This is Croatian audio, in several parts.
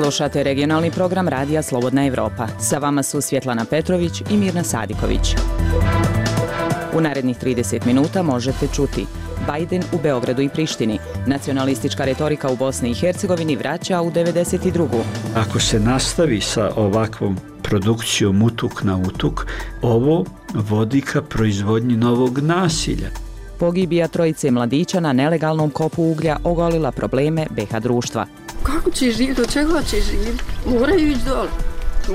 Slušate regionalni program Radija Slobodna Evropa. Sa vama su Svjetlana Petrović i Mirna Sadiković. U narednih 30 minuta možete čuti: Biden u Beogradu i Prištini. Nacionalistička retorika u Bosni i Hercegovini vraća u 92. Ako se nastavi sa ovakvom produkcijom utuk na utuk, ovo vodi ka proizvodnji novog nasilja. Pogibija trojice mladića na nelegalnom kopu uglja ogolila probleme BiH društva. Kako će živjeti, do čega će živjeti? Moraju ići dole,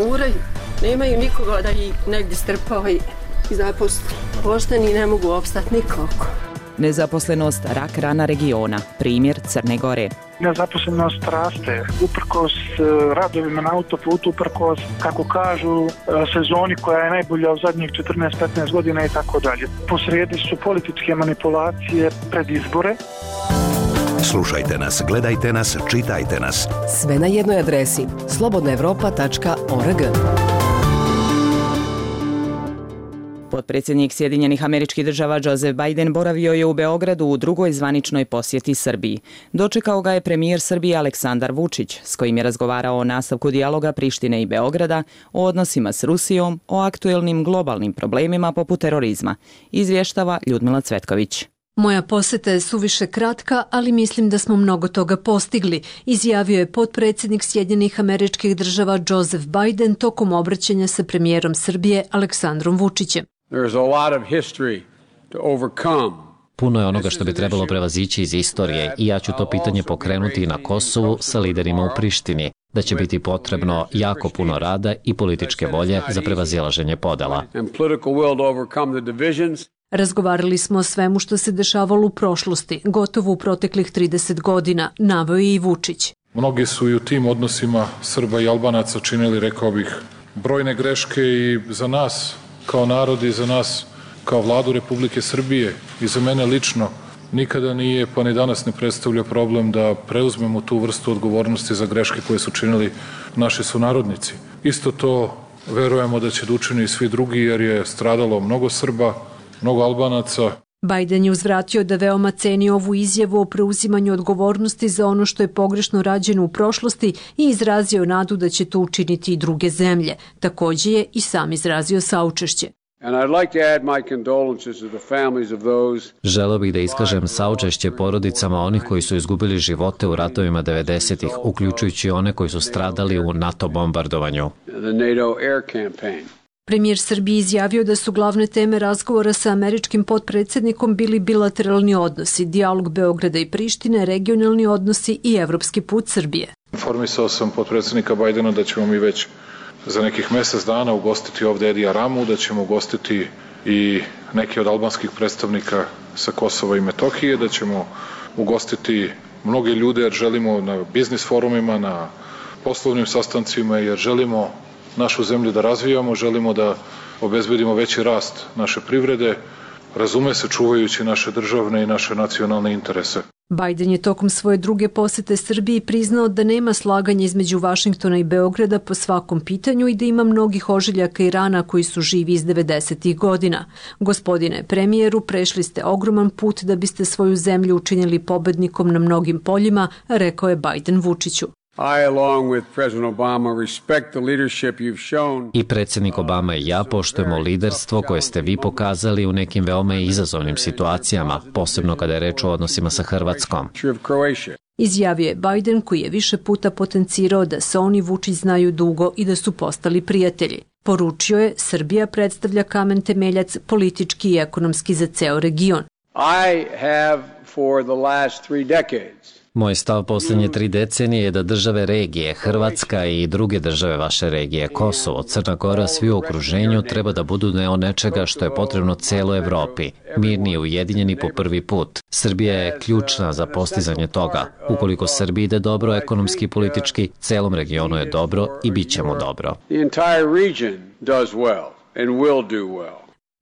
moraju. Nemaju nikoga da ih negdje strpava i zaposli. Pošteni ne mogu opstati nikako. Nezaposlenost rak rana regiona, primjer Crne Gore. Nezaposlenost raste, uprkos radovima na autoputu, uprkos, kako kažu, sezoni koja je najbolja u zadnjih 14-15 godina i tako dalje. Posrijedi su političke manipulacije pred izbore. Slušajte nas, gledajte nas, čitajte nas. Sve na jednoj adresi: slobodnaevropa.org. Potpredsjednik Sjedinjenih Američkih Država Joseph Biden boravio je u Beogradu u drugoj zvaničnoj posjeti Srbiji. Dočekao ga je premijer Srbije Aleksandar Vučić, s kojim je razgovarao o nastavku dijaloga Prištine i Beograda, o odnosima s Rusijom, o aktuelnim globalnim problemima poput terorizma, izvještava Ljudmila Cvetković. Moja posjeta je suviše kratka, ali mislim da smo mnogo toga postigli, izjavio je potpredsjednik Sjedinjenih Američkih Država Joseph Biden tokom obraćanja sa premijerom Srbije Aleksandrom Vučićem. Puno je onoga što bi trebalo prevazići iz istorije i ja ću to pitanje pokrenuti na Kosovu sa liderima u Prištini, da će biti potrebno jako puno rada i političke volje za prevazilaženje podela. Razgovarali smo o svemu što se dešavalo u prošlosti, gotovo u proteklih 30 godina, naveo je i Vučić. Mnogi su i u tim odnosima Srba i Albanaca činili, rekao bih, brojne greške i za nas kao narod i za nas kao Vladu Republike Srbije i za mene lično nikada nije, pa ni danas ne predstavlja problem da preuzmemo tu vrstu odgovornosti za greške koje su činili naši sunarodnici. Isto to verujemo da će da učini i svi drugi, jer je stradalo mnogo Srba, mnogo Albanaca. Biden je uzvratio da veoma ceni ovu izjavu o preuzimanju odgovornosti za ono što je pogrešno rađeno u prošlosti i izrazio nadu da će to učiniti i druge zemlje. Također je i sam izrazio saučešće. Želeo bih da iskažem saučešće porodicama onih koji su izgubili živote u ratovima 90-ih, uključujući one koji su stradali u NATO bombardovanju. Premijer Srbije izjavio da su glavne teme razgovora sa američkim potpredsjednikom bili bilateralni odnosi, dijalog Beograda i Prištine, regionalni odnosi i evropski put Srbije. Informisao sam potpredsjednika Bajdena da ćemo mi već za nekih mjesec dana ugostiti ovdje Edija Ramu, da ćemo ugostiti i neke od albanskih predstavnika sa Kosova i Metohije, da ćemo ugostiti mnoge ljude jer želimo na biznis forumima, na poslovnim sastancima, jer želimo našu zemlju da razvijamo, želimo da obezbedimo veći rast naše privrede, razume se čuvajući naše državne i naše nacionalne interese. Biden je tokom svoje druge posjete Srbiji priznao da nema slaganja između Vašingtona i Beograda po svakom pitanju i da ima mnogih ožiljaka i rana koji su živi iz 90-ih godina. Gospodine premijeru, prešli ste ogroman put da biste svoju zemlju učinili pobednikom na mnogim poljima, rekao je Biden Vučiću. I predsjednik Obama i ja poštujemo liderstvo koje ste vi pokazali u nekim veoma izazovnim situacijama, posebno kada je reč o odnosima sa Hrvatskom. Izjavio je Biden, koji je više puta potencirao da se on i Vučić znaju dugo i da su postali prijatelji. Poručio je, Srbija predstavlja kamen temeljac politički i ekonomski za ceo region. Moj stav posljednje 3 decenije je da države regije, Hrvatska i druge države vaše regije, Kosovo, Crna Gora, svi u okruženju treba da budu deo nečega što je potrebno celoj Evropi, mirni i ujedinjeni po prvi put. Srbija je ključna za postizanje toga. Ukoliko Srbiji ide dobro ekonomski i politički, celom regionu je dobro i bit će mu dobro.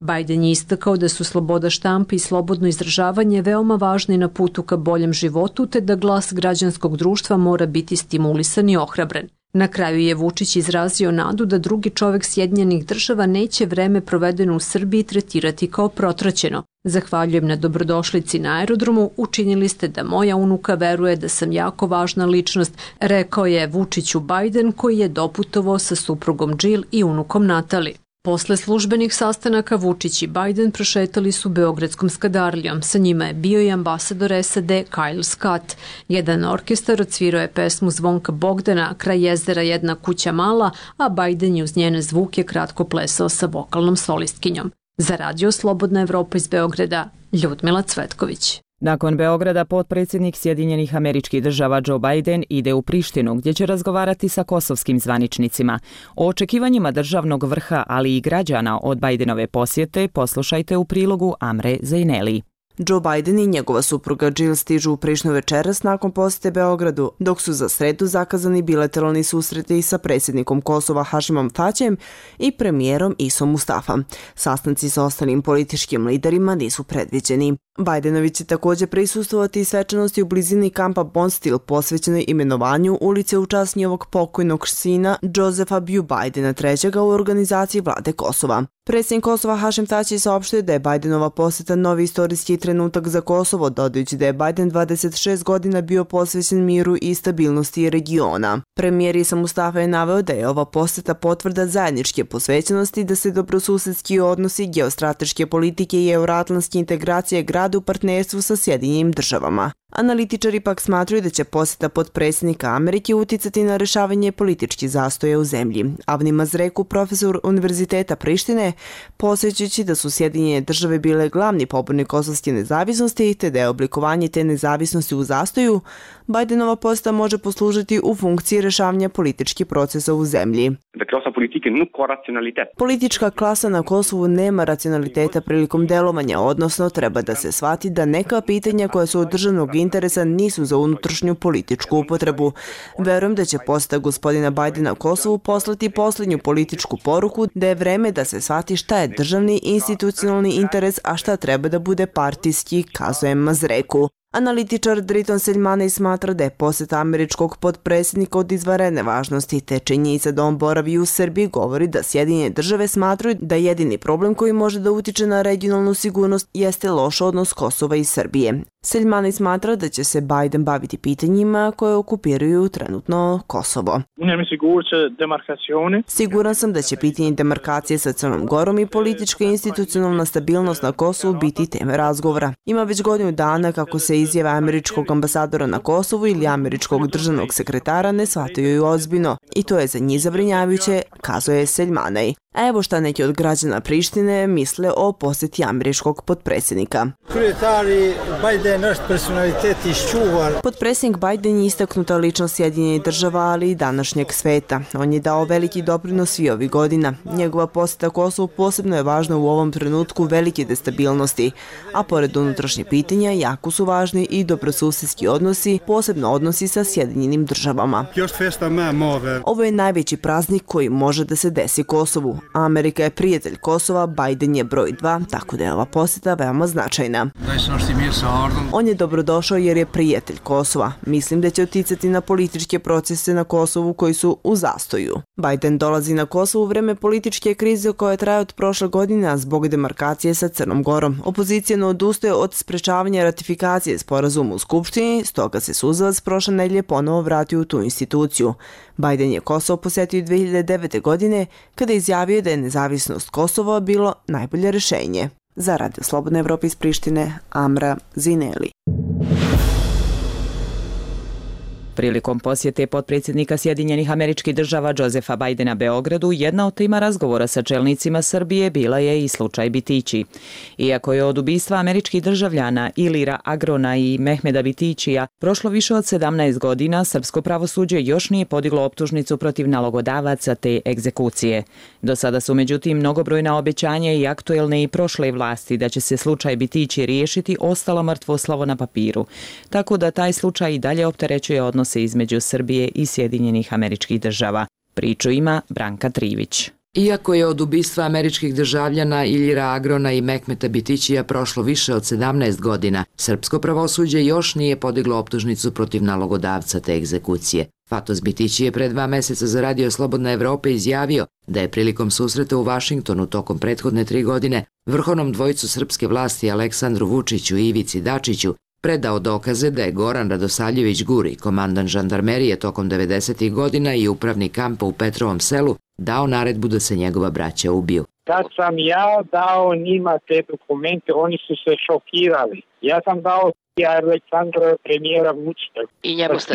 Biden je istakao da su sloboda štampe i slobodno izražavanje veoma važni na putu ka boljem životu, te da glas građanskog društva mora biti stimulisan i ohrabren. Na kraju je Vučić izrazio nadu da drugi čovek Sjedinjenih Država neće vreme provedeno u Srbiji tretirati kao protraćeno. Zahvaljujem na dobrodošlici na aerodromu, učinili ste da moja unuka veruje da sam jako važna ličnost, rekao je Vučiću Biden koji je doputovao sa suprugom Jill i unukom Natali. Posle službenih sastanaka Vučić i Biden prošetali su Beogradskom skadarlijom. Sa njima je bio i ambasador SAD Kyle Scott. Jedan orkestar odsvirao je pesmu Zvonka Bogdana, Kraj jezera jedna kuća mala, a Biden je uz njene zvuke kratko plesao sa vokalnom solistkinjom. Za Radio Slobodna Evropa iz Beograda, Ljudmila Cvetković. Nakon Beograda, potpredsjednik Sjedinjenih Američkih Država Joe Biden ide u Prištinu, gdje će razgovarati sa kosovskim zvaničnicima. O očekivanjima državnog vrha, ali i građana od Bidenove posjete, poslušajte u prilogu Amre Zejneli. Joe Biden i njegova supruga Jill stižu u Prištinu večeras nakon posjete Beogradu, dok su za sredu zakazani bilateralni susreti sa predsjednikom Kosova Hašimom Tačijem i premijerom Isom Mustafa. Sastanci sa ostalim političkim liderima nisu predviđeni. Bidenovi će također prisustvovati svečanosti u blizini kampa Bonstil posvećenoj imenovanju ulice u čast njegovog pokojnog sina Josefa Biju Bidena III. U organizaciji vlade Kosova. Predsjednik Kosova Hašim Tači saopštio da je Bidenova posjeta novi istorijski trenutak za Kosovo, dodajući da je Biden 26 godina bio posvećen miru i stabilnosti regiona. Premijer Isa Mustafa je naveo da je ova posjeta potvrda zajedničke posvećenosti, da se dobrosusedski odnosi, geostrateške politike i euroatlantske integracije grade u partnerstvu sa Sjedinjenim Državama. Analitičari pak smatruju da će posjeta potpredsjednika Amerike uticati na rešavanje političkih zastoja u zemlji. Avni Mazreku, profesor Univerziteta Prištine, posjećujući da su Sjedinjene Države bile glavni pobornik kosovske nezavisnosti te da je oblikovanje te nezavisnosti u zastoju, Bidenova posjeta može poslužiti u funkciji rešavanja političkih procesa u zemlji. Politička klasa na Kosovu nema racionaliteta prilikom delovanja, odnosno treba da se shvati da neka pitanja koja su od državnog interesa nisu za unutrašnju političku upotrebu. Verujem da će posjeta gospodina Bidena Kosovu poslati posljednju političku poruku da je vreme da se shvati šta je državni institucionalni interes, a šta treba da bude partijski, kazuje Mazreku. Analitičar Driton Selmanej smatra da je posjeta američkog potpredsjednika od izvanredne važnosti, te činjenica da on boravi u Srbiji govori da Sjedinjene Države smatraju da jedini problem koji može da utiče na regionalnu sigurnost jeste loš odnos Kosova i Srbije. Selmanej smatra da će se Biden baviti pitanjima koje okupiraju trenutno Kosovo. Siguran sam da će pitanje demarkacije sa Crnom Gorom i politička i institucionalna stabilnost na Kosovu biti teme razgovora. Ima već godinu dana kako se izjave američkog ambasadora na Kosovu ili američkog državnog sekretara ne shvataju ozbiljno i to je za njih zabrinjavajuće, kazuje Selmanej. A evo šta neki od građana Prištine misle o posjeti američkog potpredsjednika. Potpredsjednik Biden je istaknuta ličnost Sjedinjenih Država, ali i današnjeg sveta. On je dao veliki doprinos svih ovih godina. Njegova posjeta Kosovu posebno je važna u ovom trenutku velike destabilnosti, a pored unutrašnjih pitanja jako su važni i dobrosusedski odnosi, posebno odnosi sa Sjedinjenim Državama. Ovo je najveći praznik koji može da se desi Kosovu. Amerika je prijatelj Kosova, Biden je broj 2, tako da je ova posjeta veoma značajna. On je dobrodošao jer je prijatelj Kosova. Mislim da će uticati na političke procese na Kosovu koji su u zastoju. Biden dolazi na Kosovo u vreme političke krize koja traje od prošle godine zbog demarkacije sa Crnom Gorom. Opozicija ne odustaje od sprečavanja ratifikacije sporazuma u Skupštini, stoga se Suzavac prošle nedelje ponovo vratio u tu instituciju. Biden je Kosovo posjetio 2009. godine kada je izjavio da je nezavisnost Kosova bilo najbolje rješenje. Za Radio Slobodna Evropa iz Prištine, Amra Zineli. Prilikom posjete potpredsjednika Sjedinjenih Američkih Država Josefa Bidena Beogradu, jedna od tema razgovora sa čelnicima Srbije bila je i slučaj Bitići. Iako je od ubistva američkih državljana Ilira Agrona i Mehmeda Bitićija prošlo više od 17 godina, srpsko pravosuđe još nije podiglo optužnicu protiv nalogodavaca te egzekucije. Do sada su međutim mnogobrojna obećanja i aktuelne i prošle vlasti da će se slučaj Bitići riješiti ostalo mrtvo slovo na papiru, tako da taj slučaj i dalje opterećuje odnose između Srbije i Sjedinjenih Američkih Država. Priču ima Branka Trivić. Iako je od ubistva američkih državljana Iljira Agrona i Mehmeta Bitićija prošlo više od 17 godina, srpsko pravosuđe još nije podiglo optužnicu protiv nalogodavca te egzekucije. Fatos Bitići je pre 2 meseca za Radio Slobodna Evropa izjavio da je prilikom susreta u Vašingtonu tokom prethodne 3 godine vrhovnom dvojicu srpske vlasti Aleksandru Vučiću i Ivici Dačiću predao dokaze da je Goran Radosavljević Guri, komandant žandarmerije tokom 90. godina i upravnik kampa u Petrovom Selu, dao naredbu da se njegova braća ubiju. Kad sam ja dao njima te dokumente, oni su se šokirali. Ja sam dao Aleksandra premijera Vučića. I njemu ste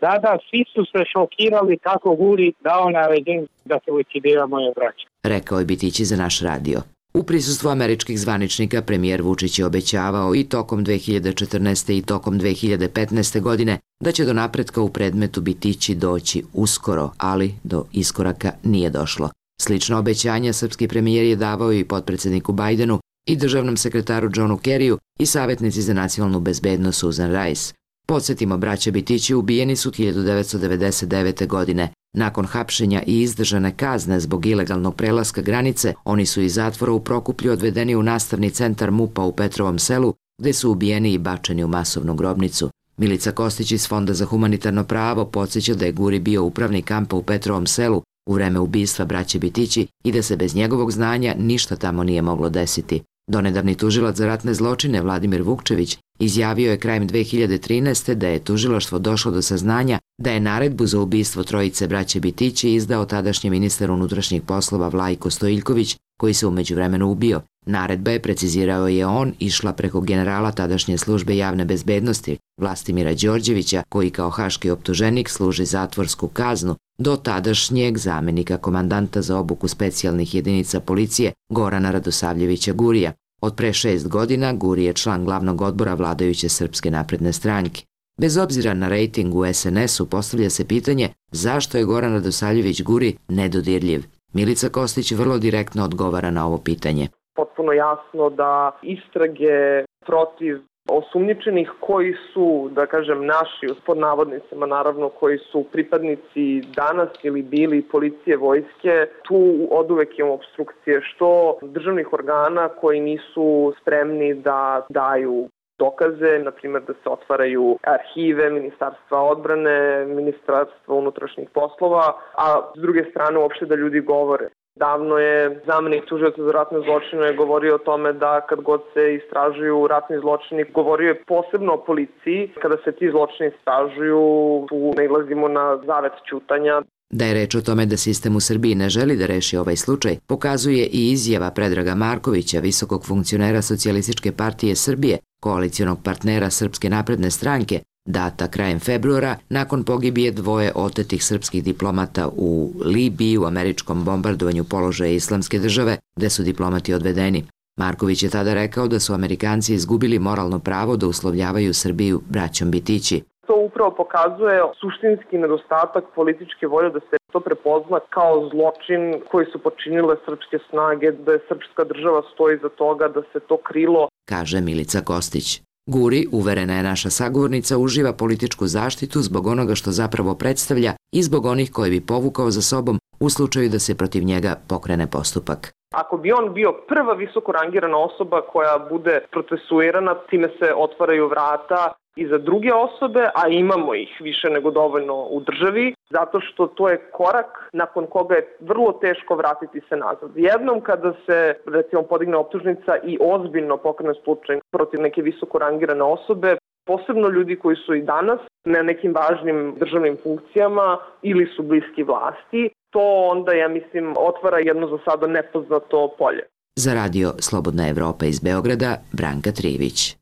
dali? Svi su se šokirali kako Guri dao naređenje da se likvidira moje braće. Rekao je Bitići za naš radio. U prisustvu američkih zvaničnika premijer Vučić je obećavao i tokom 2014. i tokom 2015. godine da će do napretka u predmetu Bitići doći uskoro, ali do iskoraka nije došlo. Slično obećanja srpski premijer je davao i potpredsjedniku Bajdenu i državnom sekretaru Johnu Kerriju i savjetnici za nacionalnu bezbednost Susan Rice. Podsjetimo, braća Bitići ubijeni su 1999. godine. Nakon hapšenja i izdržane kazne zbog ilegalnog prelaska granice, oni su iz zatvora u Prokuplju odvedeni u nastavni centar MUP-a u Petrovom Selu, gde su ubijeni i bačeni u masovnu grobnicu. Milica Kostić iz Fonda za humanitarno pravo podsjeća da je Guri bio upravnik kampa u Petrovom Selu u vreme ubistva braće Bitići i da se bez njegovog znanja ništa tamo nije moglo desiti. Donedavni tužilac za ratne zločine Vladimir Vukčević izjavio je krajem 2013. da je tužilaštvo došlo do saznanja da je naredbu za ubistvo trojice braće Bitići izdao tadašnji ministar unutrašnjih poslova Vlajko Stojiljković, koji se u međuvremenu ubio. Naredba je, precizirao je on, išla preko generala tadašnje službe javne bezbednosti Vlastimira Đorđevića, koji kao haški optuženik služi zatvorsku kaznu, do tadašnjeg zamenika komandanta za obuku specijalnih jedinica policije Gorana Radosavljevića Gurija. Od pre 6 godina Guri je član glavnog odbora vladajuće Srpske napredne stranke. Bez obzira na rejting u SNS-u postavlja se pitanje zašto je Goran Radosavljević Guri nedodirljiv. Milica Kostić vrlo direktno odgovara na ovo pitanje. Potpuno jasno da istrage protiv osumnjičenih koji su, da kažem, naši, pod navodnicima naravno, koji su pripadnici danas ili bili policije, vojske, tu oduvek imamo obstrukcije što državnih organa koji nisu spremni da daju dokaze, na primjer da se otvaraju arhive Ministarstva odbrane, Ministarstva unutrašnjih poslova, a s druge strane uopšte da ljudi govore. Davno je zamenik tužioca za ratne zločine govorio o tome da kad god se istražuju ratni zločini, govorio je posebno o policiji. Kada se ti zločini istražuju, tu nailazimo na zavet ćutanja. Da je reč o tome da sistem u Srbiji ne želi da reši ovaj slučaj, pokazuje i izjava Predraga Markovića, visokog funkcionera Socijalističke partije Srbije, koalicionog partnera Srpske napredne stranke, data krajem februara nakon pogibije 2 otetih srpskih diplomata u Libiji u američkom bombardovanju položaja Islamske države, gde su diplomati odvedeni. Marković je tada rekao da su Amerikanci izgubili moralno pravo da uslovljavaju Srbiju braćom Bitići. To upravo pokazuje suštinski nedostatak političke volje da se to prepozna kao zločin koji su počinile srpske snage, da je srpska država stoji za toga, da se to krilo, kaže Milica Kostić. Guri, uverena je naša sagovornica, uživa političku zaštitu zbog onoga što zapravo predstavlja i zbog onih koji bi povukao za sobom u slučaju da se protiv njega pokrene postupak. Ako bi on bio prva visoko rangirana osoba koja bude procesuirana, time se otvaraju vrata i za druge osobe, a imamo ih više nego dovoljno u državi, zato što to je korak nakon koga je vrlo teško vratiti se nazad. Jednom kada se, recimo, podigne optužnica i ozbiljno pokrene slučaj protiv neke visoko rangirane osobe, posebno ljudi koji su i danas na nekim važnim državnim funkcijama ili su bliski vlasti, to onda, ja mislim, otvara jedno za sada nepoznato polje. Za Radio Slobodna Evropa iz Beograda, Branka Trivić.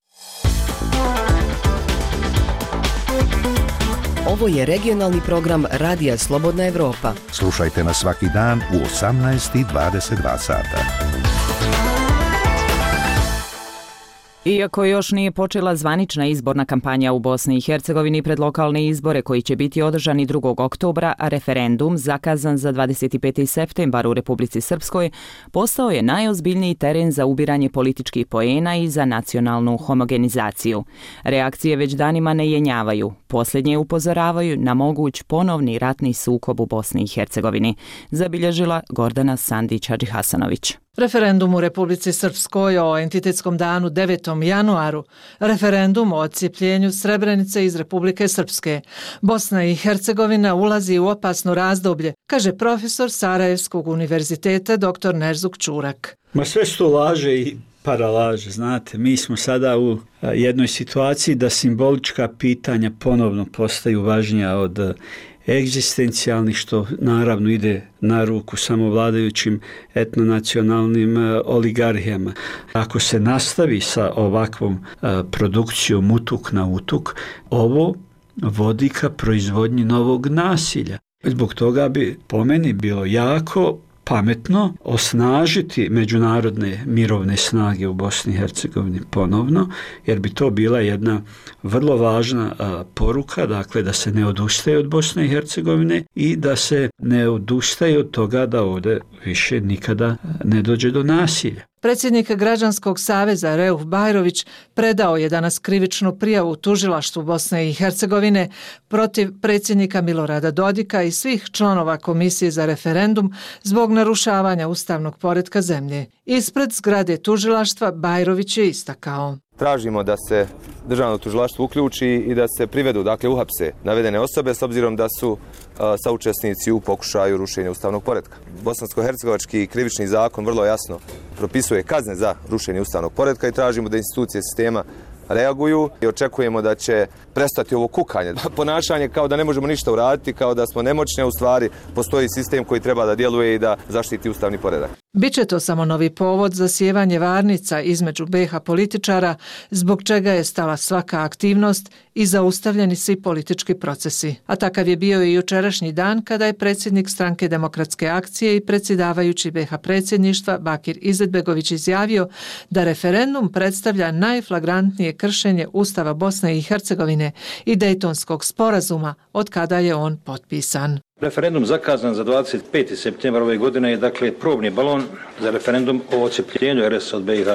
Ovo je regionalni program Radija Slobodna Evropa. Slušajte nas svaki dan u 18:22 sata. Iako još nije počela zvanična izborna kampanja u Bosni i Hercegovini pred lokalne izbore koji će biti održani 2. oktobra, a referendum zakazan za 25. septembar u Republici Srpskoj postao je najozbiljniji teren za ubiranje političkih poena i za nacionalnu homogenizaciju. Reakcije već danima ne jenjavaju. Posljednje upozoravaju na moguć ponovni ratni sukob u Bosni i Hercegovini, zabilježila Gordana Sandić-Hadžihasanović. Referendum u Republici Srpskoj o entitetskom danu 9. januaru, referendum o odcijepljenju Srebrenice iz Republike Srpske. Bosna i Hercegovina ulazi u opasno razdoblje, kaže profesor Sarajevskog univerziteta dr. Nerzuk Čurak. Ma sve su to laže i paralaže, znate, mi smo sada u jednoj situaciji da simbolička pitanja ponovno postaju važnija od egzistencijalnih, što naravno ide na ruku samovladajućim etnonacionalnim oligarhijama. Ako se nastavi sa ovakvom produkcijom utuk na utuk, ovo vodi ka proizvodnji novog nasilja. Zbog toga bi po meni bilo jako pametno osnažiti međunarodne mirovne snage u Bosni i Hercegovini ponovno, jer bi to bila jedna vrlo važna poruka, dakle da se ne odustaje od Bosne i Hercegovine i da se ne odustaje od toga da ovdje više nikada ne dođe do nasilja. Predsjednik Građanskog saveza Reuf Bajrović predao je danas krivičnu prijavu tužilaštvu Bosne i Hercegovine protiv predsjednika Milorada Dodika i svih članova Komisije za referendum zbog narušavanja ustavnog poretka zemlje. Ispred zgrade tužilaštva Bajrović je istakao: tražimo da se državno tužilaštvo uključi i da se privedu, dakle uhapse navedene osobe s obzirom da su saučesnici u pokušaju rušenja ustavnog poretka. Bosansko-hercegovački krivični zakon vrlo jasno propisuje kazne za rušenje ustavnog poretka i tražimo da institucije sistema reaguju i očekujemo da će prestati ovo kukanje. Ponašanje kao da ne možemo ništa uraditi, kao da smo nemoćni, a u stvari postoji sistem koji treba da djeluje i da zaštiti ustavni poredak. Biće to samo novi povod za sjevanje varnica između BiH političara, zbog čega je stala svaka aktivnost i zaustavljeni svi politički procesi. A takav je bio i jučerašnji dan kada je predsjednik Stranke demokratske akcije i predsjedavajući BiH predsjedništva Bakir Izetbegović izjavio da referendum predstavlja najflagrantnije kršenje Ustava Bosne i Hercegovine i Dejtonskog sporazuma od kada je on potpisan. Referendum zakazan za 25. septembar ove godine je dakle probni balon za referendum o odcijepljenju RS od BiH.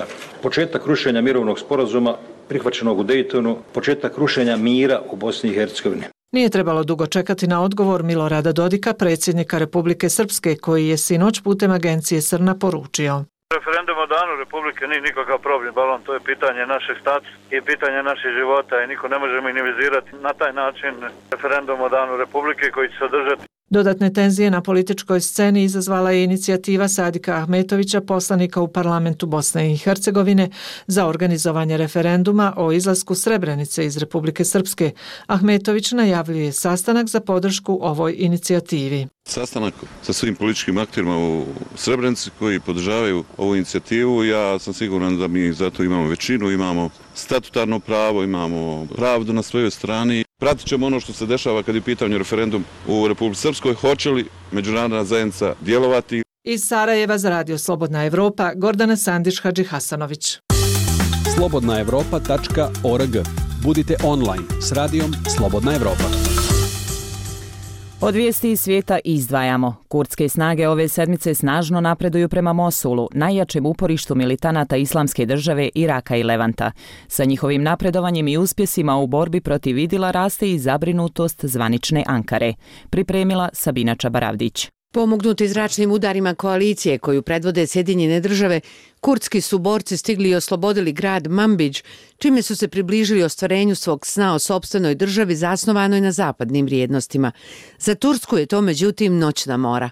Početak rušenja mirovnog sporazuma prihvaćenog u Dejtonu, početak rušenja mira u Bosni i Hercegovini. Nije trebalo dugo čekati na odgovor Milorada Dodika, predsjednika Republike Srpske, koji je sinoć putem agencije Srna poručio: referendum o danu Republike nije nikakav probni balon, to je pitanje našeg statusa i pitanje naših života i niko ne može minimizirati na taj način referendum o danu Republike koji će se održati. Dodatne tenzije na političkoj sceni izazvala je inicijativa Sadika Ahmetovića, poslanika u parlamentu Bosne i Hercegovine, za organizovanje referenduma o izlasku Srebrenice iz Republike Srpske. Ahmetović najavljuje sastanak za podršku ovoj inicijativi. Sastanak sa svim političkim akterima u Srebrenici koji podržavaju ovu inicijativu. Ja sam siguran da mi zato imamo većinu, imamo statutarno pravo, imamo pravdu na svojoj strani. Pratit ćemo ono što se dešava kad je u pitanju referendum u Republici Srpskoj. Hoće li međunarodna zajednica djelovati? Iz Sarajeva za Radio Slobodna Evropa, Gordana Sandić-Hadžihasanović. slobodnaevropa.org. Budite online s radijom Slobodna Evropa. Od vijesti iz svijeta izdvajamo. Kurdske snage ove sedmice snažno napreduju prema Mosulu, najjačem uporištu militanata Islamske države, Iraka i Levanta. Sa njihovim napredovanjem i uspjesima u borbi protiv Idila raste i zabrinutost zvanične Ankare. Pripremila Sabina Čabaravdić. Pomognuti zračnim udarima koalicije koju predvode Sjedinjene države, kurdski su borci stigli i oslobodili grad Manbidž, čime su se približili ostvarenju svog sna o sopstvenoj državi zasnovanoj na zapadnim vrijednostima. Za Tursku je to međutim noćna mora.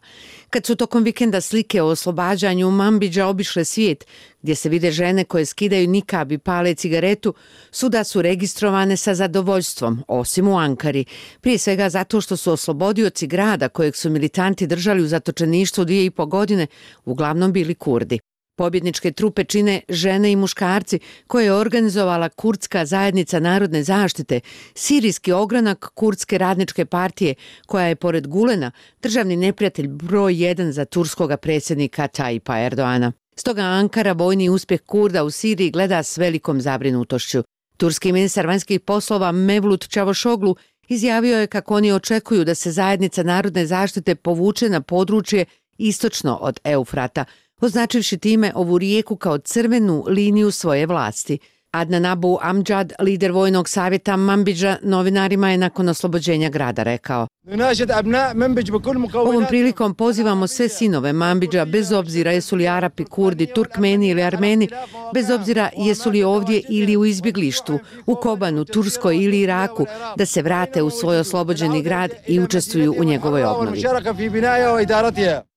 Kad su tokom vikenda slike o oslobađanju Manbidža obišle svijet, gdje se vide žene koje skidaju nikab i pale cigaretu, svuda su registrovane sa zadovoljstvom, osim u Ankari. Prije svega zato što su oslobodioci grada kojeg su militanti držali u zatočeništvu 2,5 godine, uglavnom bili Kurdi. Pobjedničke trupe čine žene i muškarci koje je organizovala Kurdska zajednica narodne zaštite, sirijski ogranak Kurdske radničke partije, koja je pored Gulena državni neprijatelj broj 1 za turskoga predsjednika Tayyipa Erdoana. Stoga Ankara vojni uspjeh Kurda u Siriji gleda s velikom zabrinutošću. Turski ministar vanjskih poslova Mevlut Čavošoglu izjavio je kako oni očekuju da se zajednica narodne zaštite povuče na područje istočno od Eufrata, označivši time ovu rijeku kao crvenu liniju svoje vlasti. Adnan Abu Amjad, lider vojnog savjeta Manbidža, novinarima je nakon oslobođenja grada rekao: Ovom prilikom pozivamo sve sinove Manbidža, bez obzira jesu li Arapi, Kurdi, Turkmeni ili Armeni, bez obzira jesu li ovdje ili u izbjeglištvu, u Kobanu, Turskoj ili Iraku, da se vrate u svoj oslobođeni grad i učestvuju u njegovoj obnovi.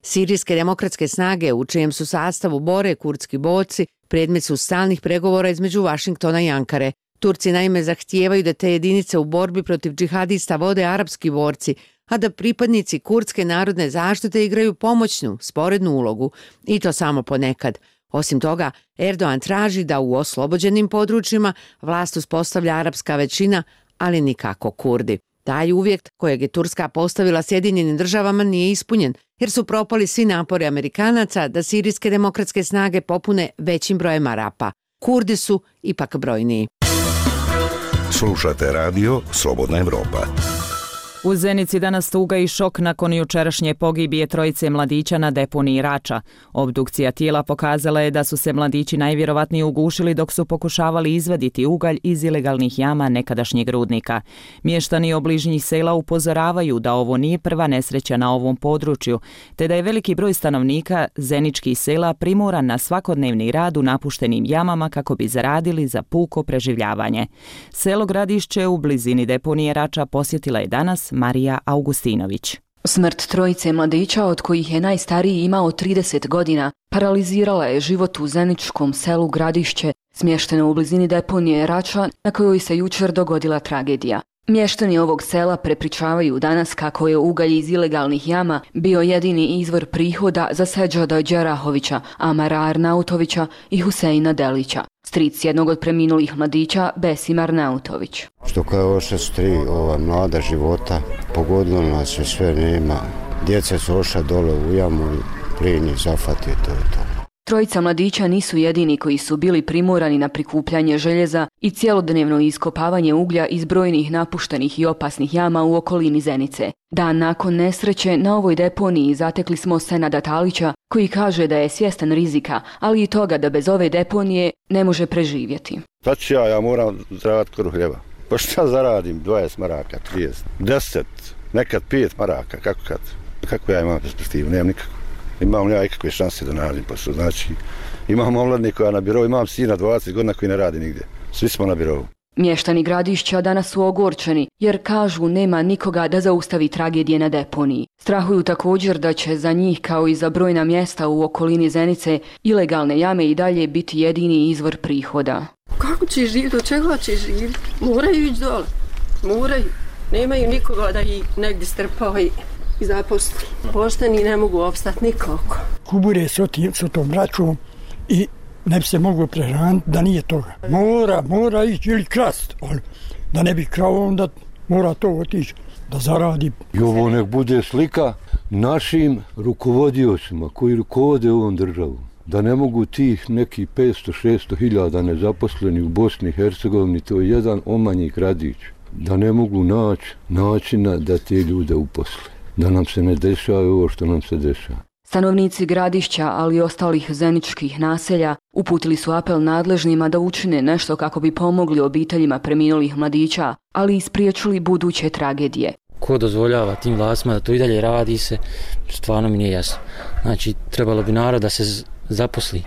Sirijske demokratske snage, u čijem su sastavu bore kurdski borci, predmet su stalnih pregovora između Vašingtona i Ankare. Turci naime zahtijevaju da te jedinice u borbi protiv džihadista vode arapski borci, a da pripadnici kurdske narodne zaštite igraju pomoćnu, sporednu ulogu, i to samo ponekad. Osim toga, Erdogan traži da u oslobođenim područjima vlast uspostavlja arapska većina, ali nikako Kurdi. Taj uvjet kojeg je Turska postavila Sjedinjenim državama nije ispunjen, jer su propali svi napori Amerikanaca da sirijske demokratske snage popune većim brojem Arapa. Kurdi su ipak brojniji. Slušate radio Slobodna Evropa. U Zenici danas tuga i šok nakon jučerašnje pogibije trojice mladića na deponiji Rača. Obdukcija tijela pokazala je da su se mladići najvjerovatnije ugušili dok su pokušavali izvaditi ugalj iz ilegalnih jama nekadašnjeg rudnika. Mještani obližnjih sela upozoravaju da ovo nije prva nesreća na ovom području, te da je veliki broj stanovnika zeničkih sela primoran na svakodnevni rad u napuštenim jamama kako bi zaradili za puko preživljavanje. Selo Gradišće u blizini deponije Rača posjetila je danas Marija Augustinović. Smrt trojice mladića, od kojih je najstariji imao 30 godina, paralizirala je život u zeničkom selu Gradišće, smješteno u blizini deponije Rača, na kojoj se jučer dogodila tragedija. Mještani ovog sela prepričavaju danas kako je ugalj iz ilegalnih jama bio jedini izvor prihoda za Seđada Đerahovića, Amara Arnautovića i Huseina Delića. Stric jednog od preminulih mladića, Besim Arnautović. Što kao oša su tri mlada života, pogodilo nas se sve, nema. Djeca su oša dole u jamu i plin je zafatio to. Trojica mladića nisu jedini koji su bili primorani na prikupljanje željeza i cjelodnevno iskopavanje uglja iz brojnih napuštenih i opasnih jama u okolini Zenice. Dan nakon nesreće na ovoj deponiji zatekli smo Senada Talića, koji kaže da je svjestan rizika, ali i toga da bez ove deponije ne može preživjeti. Šta ću ja moram zaraditi koru hljeba. Pa šta zaradim? 20 maraka, 30, 10, nekad 5 maraka, kako ja imam perspektivu, nemam nikako. Imam li ja ikakve šanse da nađem posao, znači imam omladnika koja na birovu, imam sina 20 godina koji ne radi nigdje, svi smo na birovu. Mještani Gradišća danas su ogorčeni jer kažu nema nikoga da zaustavi tragedije na deponiji. Strahuju također da će za njih kao i za brojna mjesta u okolini Zenice ilegalne jame i dalje biti jedini izvor prihoda. Kako će živjeti, od čega će živjeti? Moraju ići dole, moraju. Nemaju nikoga da ih negdje strpava i zaposli. Pošteni ne mogu opstati nikako. Kubure s tom račom i ne bi se moglo prehraniti da nije toga. Mora ići ili krast, ali da ne bi krao onda mora to otići da zaradi. I ovo nek bude slika našim rukovodiocima koji rukovode ovom državom. Da ne mogu tih nekih 500-600 hiljada nezaposleni u Bosni i Hercegovini, to je jedan omanji gradić, da ne mogu naći načina da te ljude uposle. Da nam se ne dešava ovo što nam se dešava. Stanovnici Gradišća, ali i ostalih zeničkih naselja, uputili su apel nadležnima da učine nešto kako bi pomogli obiteljima preminulih mladića, ali i spriječili buduće tragedije. Ko dozvoljava tim vlastima da to i dalje radi se, stvarno mi nije jasno. Znači, trebalo bi narod da se zaposli,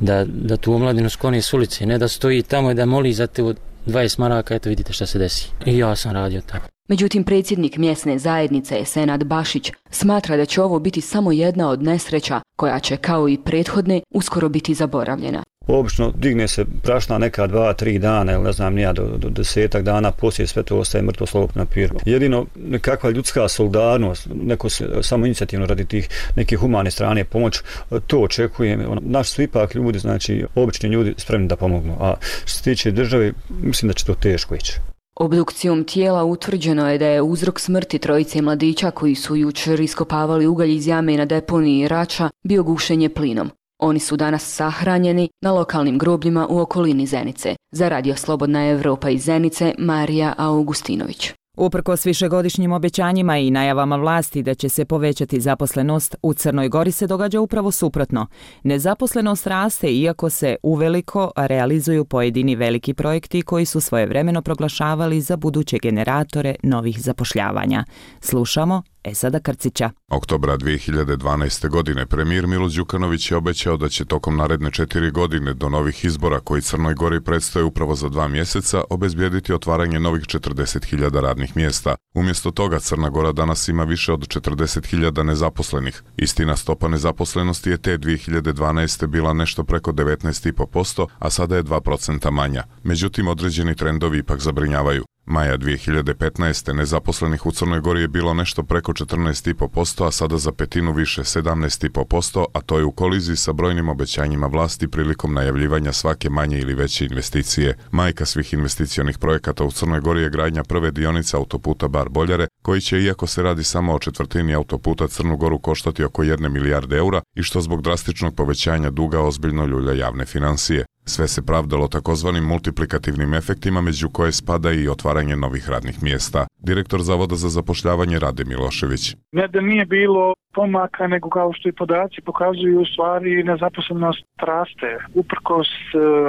da tu omladinu skloni s ulice, ne da stoji tamo i da moli za te 20 maraka, eto vidite šta se desi. I ja sam radio tako. Međutim, predsjednik mjesne zajednice Senad Bašić smatra da će ovo biti samo jedna od nesreća koja će, kao i prethodne, uskoro biti zaboravljena. Obično digne se prašna neka 2-3 dana ili ne znam nija do 10 dana, poslije sve to ostaje mrtvo slovo na papiru. Jedino nekakva ljudska solidarnost, neko samo inicijativno radi tih neke humane strane pomoć, to očekujem. Naši su ipak ljudi, znači obični ljudi spremni da pomognu, a što se tiče države, mislim da će to teško ići. Obdukcijom tijela utvrđeno je da je uzrok smrti trojice mladića koji su jučer iskopavali ugalj iz jame na deponiji Rača bio gušenje plinom. Oni su danas sahranjeni na lokalnim grobljima u okolini Zenice. Za Radio Slobodna Evropa iz Zenice, Marija Augustinović. Uprkos višegodišnjim obećanjima i najavama vlasti da će se povećati zaposlenost, u Crnoj Gori se događa upravo suprotno. Nezaposlenost raste iako se uveliko realizuju pojedini veliki projekti koji su svojevremeno proglašavali za buduće generatore novih zapošljavanja. Slušamo Esada Krcića. Oktobra 2012. godine premijer Milo Đukanović je obećao da će tokom naredne 4 godine do novih izbora koji Crnoj Gori predstoje upravo za 2 mjeseca obezbijediti otvaranje novih 40.000 radnih mjesta. Umjesto toga Crna Gora danas ima više od 40.000 nezaposlenih. Istina, stopa nezaposlenosti je te 2012. bila nešto preko 19,5%, a sada je 2% manja. Međutim, određeni trendovi ipak zabrinjavaju. Maja 2015. nezaposlenih u Crnoj Gori je bilo nešto preko 14,5%, a sada za petinu više 17,5%, a to je u koliziji sa brojnim obećanjima vlasti prilikom najavljivanja svake manje ili veće investicije. Majka svih investicionih projekata u Crnoj Gori je gradnja prve dionice autoputa Bar-Boljare, koji će, iako se radi samo o četvrtini autoputa, Crnu Goru koštati oko 1 milijarde eura i što zbog drastičnog povećanja duga ozbiljno ljulja javne financije. Sve se pravdalo takozvanim multiplikativnim efektima, među koje spada i otvaranje novih radnih mjesta. Direktor Zavoda za zapošljavanje Rade Milošević. Ne da nije bilo pomaka, nego kao što i podaci pokazuju, u stvari nezaposlenost raste. Uprkos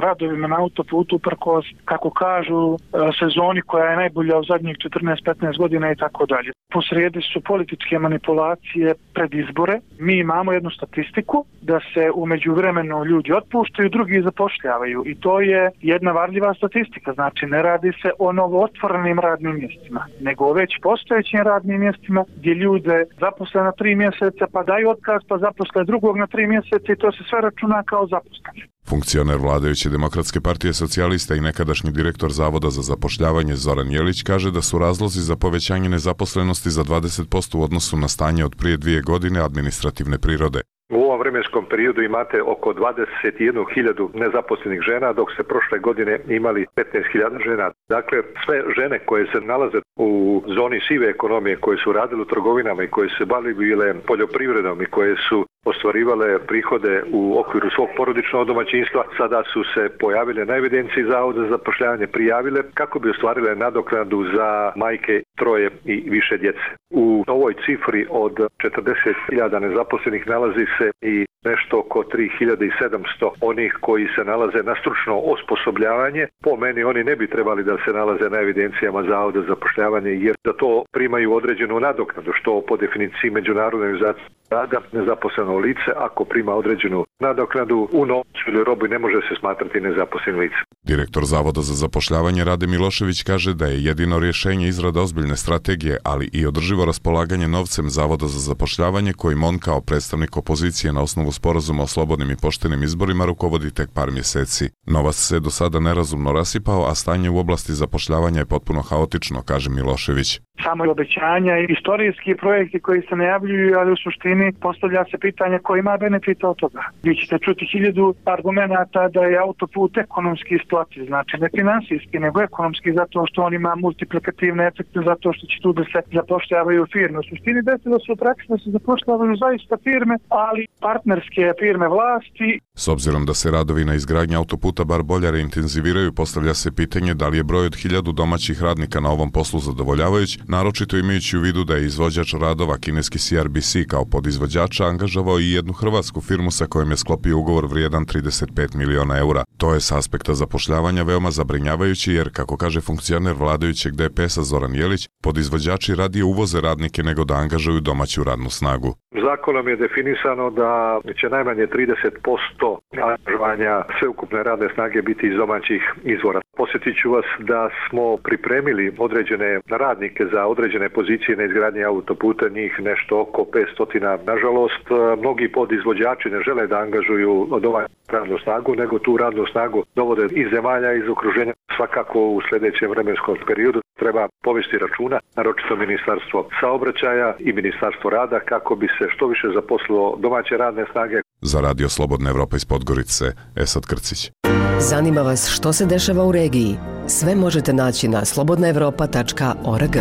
radovima na autoputu, uprkos, kako kažu, sezoni koja je najbolja u zadnjih 14-15 godina i tako dalje. Posrijedi su političke manipulacije pred izbore. Mi imamo jednu statistiku da se u međuvremenu ljudi otpuštaju, drugi zapošljavaju. I to je jedna varljiva statistika. Znači, ne radi se o novootvorenim radnim mjestima, nego o već postojećim radnim mjestima gdje ljude zaposle na 3 mjeseca, pa daju otkaz, pa zaposle drugog na 3 mjeseca i to se sve računa kao zaposleni. Funkcioner vladajuće Demokratske partije socijalista i nekadašnji direktor Zavoda za zapošljavanje Zoran Jelić kaže da su razlozi za povećanje nezaposlenosti za 20% u odnosu na stanje od prije 2 godine administrativne prirode. U ovom vremenskom periodu imate oko 21.000 nezaposlenih žena, dok ste prošle godine imali 15.000 žena. Dakle, sve žene koje se nalaze u zoni sive ekonomije, koje su radile u trgovinama i koje se bavile poljoprivredom i koje su ostvarivale prihode u okviru svog porodičnog domaćinstva, sada su se pojavile na evidenciji Zavoda za zapošljavanje, prijavile kako bi ostvarile nadoknadu za majke 3 i više djece. U ovoj cifri od 40.000 nezaposlenih nalazi se i nešto oko 3.700 onih koji se nalaze na stručno osposobljavanje. Po meni oni ne bi trebali da se nalaze na evidencijama Zavoda za zapošljavanje, jer za to primaju određenu nadoknadu, što po definiciji Međunarodne organizacije rada nezaposleno lice, ako prima određenu nadoknadu u novcu ili robi, ne može se smatrati nezaposlenim licem. Direktor Zavoda za zapošljavanje Rade Milošević kaže da je jedino rješenje izrada ozbiljne strategije, ali i održivo raspolaganje novcem Zavoda za zapošljavanje, kojim on kao predstavnik opozicije na osnovu sporazuma o slobodnim i poštenim izborima rukovodi tek par mjeseci. Novac se do sada nerazumno rasipao, a stanje u oblasti zapošljavanja je potpuno haotično, kaže Milošević. Samo obećanja i istorijski projekti koji se najavljuju, ali u suštini postavlja se pitanje ko ima benefita od toga. Vi ćete čuti 1000 argumenata da je autoput ekonomski isplativ, znači ne finansijski, nego ekonomski, zato što on ima multiplikativne efekte, zato što će tu da se zapošljavaju firme. U suštini desilo se u praksi da se zapošljavaju zaista firme, ali partnerske firme vlasti. S obzirom da se radovi na izgradnji autoputa Bar-Boljare intenziviraju, postavlja se pitanje da li je broj od 1000 domaćih radnika na ovom poslu zadovoljavajuć, naročito imajući u vidu da je izvođač radova kineski CRBC kao podizvođača angažavao i jednu hrvatsku firmu sa kojom je sklopio ugovor vrijedan 35 miliona eura. To je s aspekta zapošljavanja veoma zabrinjavajući jer, kako kaže funkcioner vladajućeg DPS-a Zoran Jelić, podizvođači radije uvoze radnike nego da angažuju domaću radnu snagu. Zakonom je definisano da će najmanje 30% angažovanja sveukupne radne snage biti iz domaćih izvora. Posjetit ću vas da smo pripremili određene radnike za određene pozicije na izgradnji autoputa, njih nešto oko 500. Nažalost, mnogi podizvođači ne žele da angažuju domaću radnu snagu, nego tu radnu snagu dovode iz zemalja, iz okruženja. Svakako u sljedećem vremenskom periodu treba povesti računa, naročito Ministarstvo saobraćaja i Ministarstvo rada, kako bi se što više zaposlilo domaće radne snage. Za Radio Slobodna Evropa iz Podgorice, Esad Krcić. Zanima vas što se dešava u regiji? Sve možete naći na slobodnaevropa.org.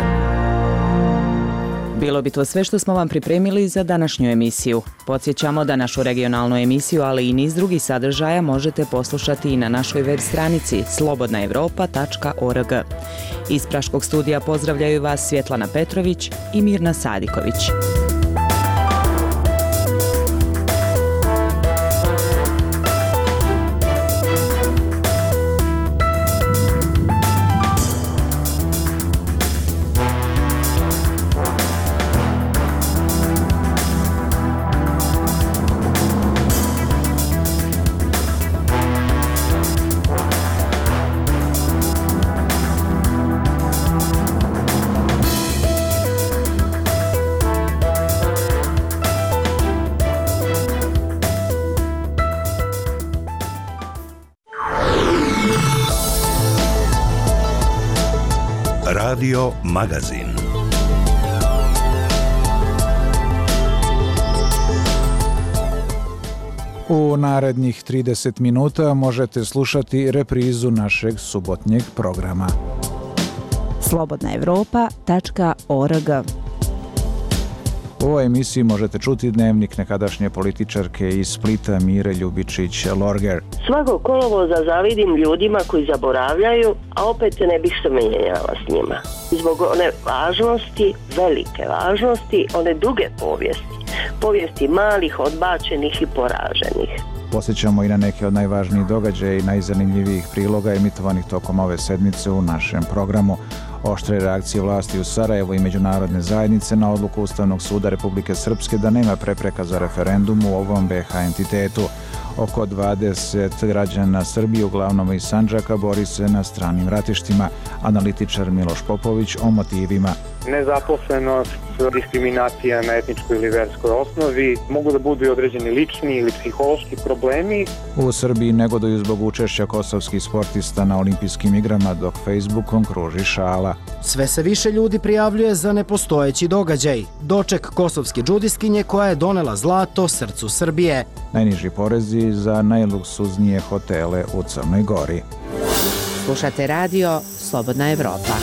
Bilo bi to sve što smo vam pripremili za današnju emisiju. Podsjećamo da našu regionalnu emisiju, ali i niz drugih sadržaja možete poslušati i na našoj web stranici slobodnaevropa.org. Iz Praškog studija pozdravljaju vas Svjetlana Petrović i Mirna Sadiković. Radio Magazin. U narednih 30 minuta možete slušati reprizu našeg subotnjeg programa. slobodnaevropa.org. U ovoj emisiji možete čuti dnevnik nekadašnje političarke iz Splita Mire Ljubičić-Lorger. Svako kolovoza zavidim ljudima koji zaboravljaju, a opet se ne bih se mijenjala s njima. Zbog one važnosti, velike važnosti, one duge povijesti malih, odbačenih i poraženih. Posjećamo i na neke od najvažnijih događaja i najzanimljivijih priloga emitovanih tokom ove sedmice u našem programu. Oštre reakcije vlasti u Sarajevu i međunarodne zajednice na odluku Ustavnog suda Republike Srpske da nema prepreka za referendum u ovom BiH entitetu. Oko 20 građana Srbije, uglavnom iz Sandžaka, bori se na stranim ratištima. Analitičar Miloš Popović o motivima. Nezaposlenost, diskriminacija na etničkoj ili verskoj osnovi, mogu da budu i određeni lični ili psihološki problemi. U Srbiji negoduju zbog učešća kosovskih sportista na olimpijskim igrama, dok Facebookom kruži šala. Sve se više ljudi prijavljuje za nepostojeći događaj. Doček kosovske džudiskinje koja je donela zlato srcu Srbije. Najniži porezi za najluksuznije hotele u Crnoj Gori. Slušate radio Slobodna Evropa.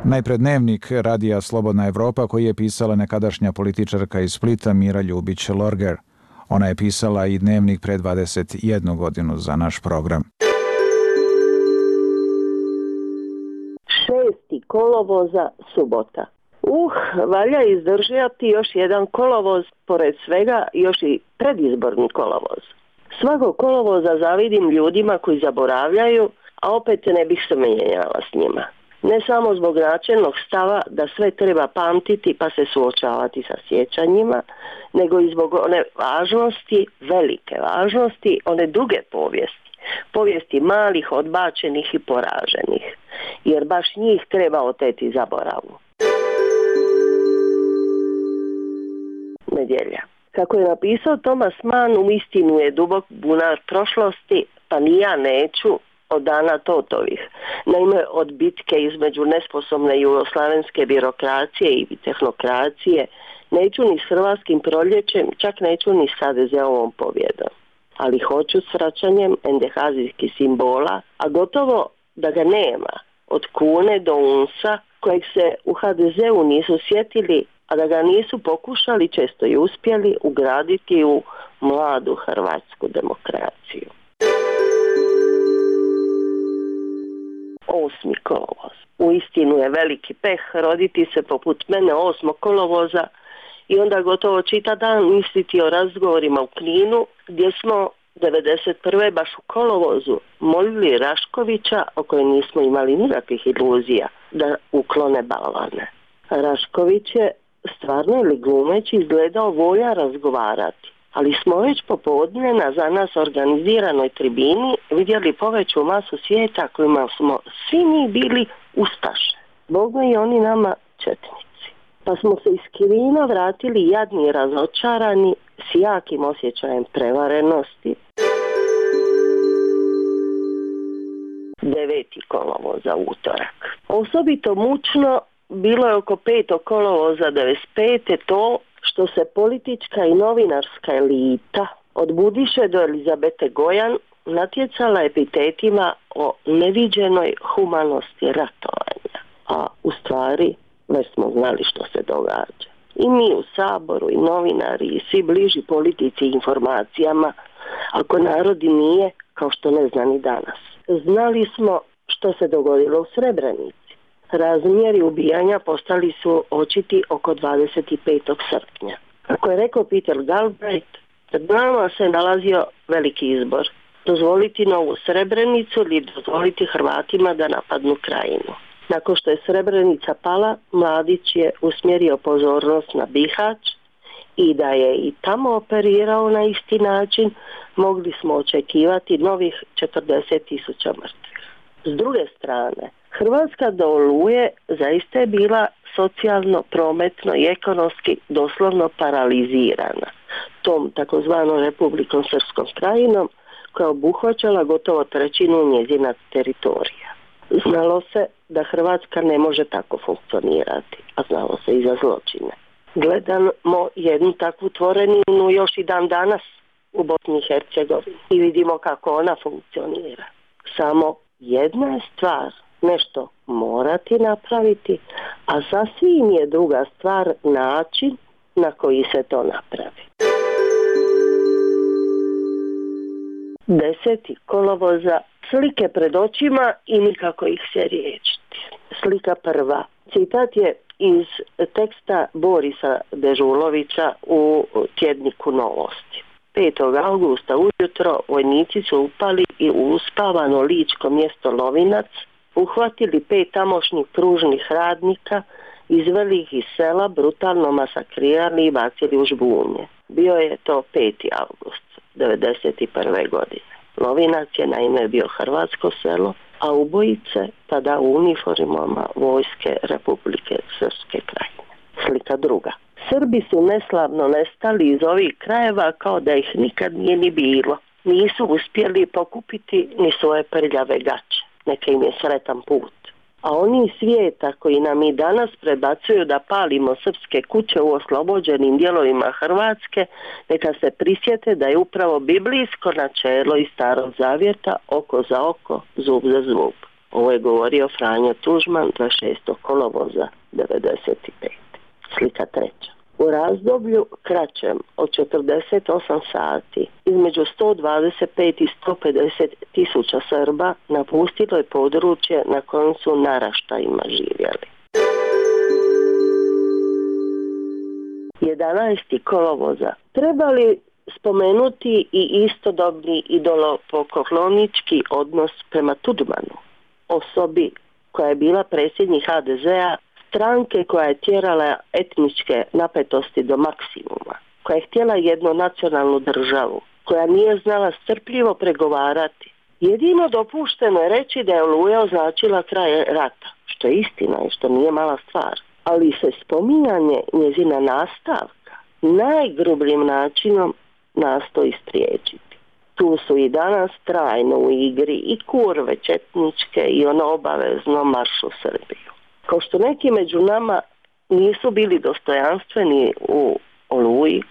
Najpre dnevnik radija Slobodna Evropa koji je pisala nekadašnja političarka iz Splita Mira Ljubić-Lorger. Ona je pisala i dnevnik pre 21 godinu za naš program. 6. kolovoza, subota. Valja izdržati još jedan kolovoz, pored svega još i predizborni kolovoz. Svakog kolovoza zavidim ljudima koji zaboravljaju, a opet ne bih se mijenjala s njima. Ne samo zbog načelnog stava da sve treba pamtiti pa se suočavati sa sjećanjima, nego i zbog one važnosti, velike važnosti, one duge povijesti malih, odbačenih i poraženih, jer baš njih treba oteti zaboravu. Nedjelja. Kako je napisao Thomas Mann, uistinu je dubok bunar prošlosti, pa ni ja neću od dana Totovih. Naime, od bitke između nesposobne jugoslavenske birokracije i tehnokracije neću ni s hrvatskim proljećem, čak neću ni s HDZ-ovom pobjedom. Ali hoću s vraćanjem endehazijskih simbola, a gotovo da ga nema, od kune do unsa, kojeg se u HDZ-u nisu sjetili, a da ga nisu pokušali, često i uspjeli, ugraditi u mladu hrvatsku demokraciju. 8. kolovoz. Uistinu je veliki peh roditi se poput mene 8. kolovoza i onda gotovo čita dan misliti o razgovorima u Kninu, gdje smo 1991. baš u kolovozu molili Raškovića, o kojem nismo imali nikakvih iluzija, da uklone balvane. Rašković je stvarno ili glumeći izgledao volja razgovarati, ali smo već popodne na za nas organiziranoj tribini vidjeli poveću masu svijeta kojima smo svi mi bili ustaše. Bogme i oni nama četnici. Pa smo se iz Kirina vratili jadni i razočarani s jakim osjećajem prevarenosti. 9. kolovoza, utorak. Osobito mučno bilo je oko 5. kolovoza 95. to što se politička i novinarska elita od Budiše do Elizabete Gojan natjecala epitetima o neviđenoj humanosti ratovanja. A u stvari već smo znali što se događa. I mi u Saboru, i novinari, i svi bliži politici i informacijama, ako narod i nije, kao što ne zna ni danas. Znali smo što se dogodilo u Srebrenici. Razmjeri ubijanja postali su očiti oko 25. srpnja. Kako je rekao Peter Galbraith, pred nama se nalazio veliki izbor. Dozvoliti novu Srebrenicu ili dozvoliti Hrvatima da napadnu Krajinu. Nakon što je Srebrenica pala, Mladić je usmjerio pozornost na Bihać i da je i tamo operirao na isti način, mogli smo očekivati novih 40.000 mrtvih. S druge strane, Hrvatska do Oluje zaista je bila socijalno, prometno i ekonomski doslovno paralizirana tom takozvanom Republikom Srpskom Krajinom, koja je obuhvaćala gotovo trećinu njezina teritorija. Znalo se da Hrvatska ne može tako funkcionirati, a znalo se i za zločine. Gledamo jednu takvu tvoreninu još i dan danas u Bosni i Hercegovini i vidimo kako ona funkcionira. Samo jedna je stvar nešto morati napraviti, a sasvim je druga stvar način na koji se to napravi. 10. kolovoza, slike pred očima i nikako ih se riješiti. Slika prva. Citat je iz teksta Borisa Dežulovića u tjedniku Novosti. 5. augusta ujutro vojnici su upali i u uspavano ličko mjesto Lovinac uhvatili 5 tamošnjih pružnih radnika, izveli ih iz sela, brutalno masakrirali i bacili u žbunje. Bio je to 5. august 1991. godine. Lovinac je naime bio hrvatsko selo, a ubojice tada u uniformama vojske Republike Srpske Krajine. Slika druga. Srbi su neslavno nestali iz ovih krajeva kao da ih nikad nije ni bilo. Nisu uspjeli pokupiti ni svoje prljave gaće. Neka im je sretan put. A oni svijeta koji nam i danas prebacuju da palimo srpske kuće u oslobođenim dijelovima Hrvatske, neka se prisjete da je upravo biblijsko načelo iz Starog Zavjeta oko za oko, zub za zub. Ovo je govorio Franjo Tuđman 26. kolovoza 1995. Slika treća. U razdoblju kraćem od 48 sati između 125 i 150 tisuća Srba napustilo je područje na kojem su naraštajima živjeli. 11. kolovoza. Treba li spomenuti i istodobni idolopoklonički odnos prema Tuđmanu, osobi koja je bila predsjednik HDZ-a, stranke koja je tjerala etničke napetosti do maksimuma, koja je htjela jednu nacionalnu državu, koja nije znala strpljivo pregovarati. Jedino dopušteno je reći da je Oluja označila kraj rata, što je istina i što nije mala stvar. Ali se spominjanje njezina nastavka najgrubljim načinom nastoji spriječiti. Tu su i danas trajno u igri i kurve četničke i ono obavezno marš u Srbiju. Kao što neki među nama nisu bili dostojanstveni u Oluji,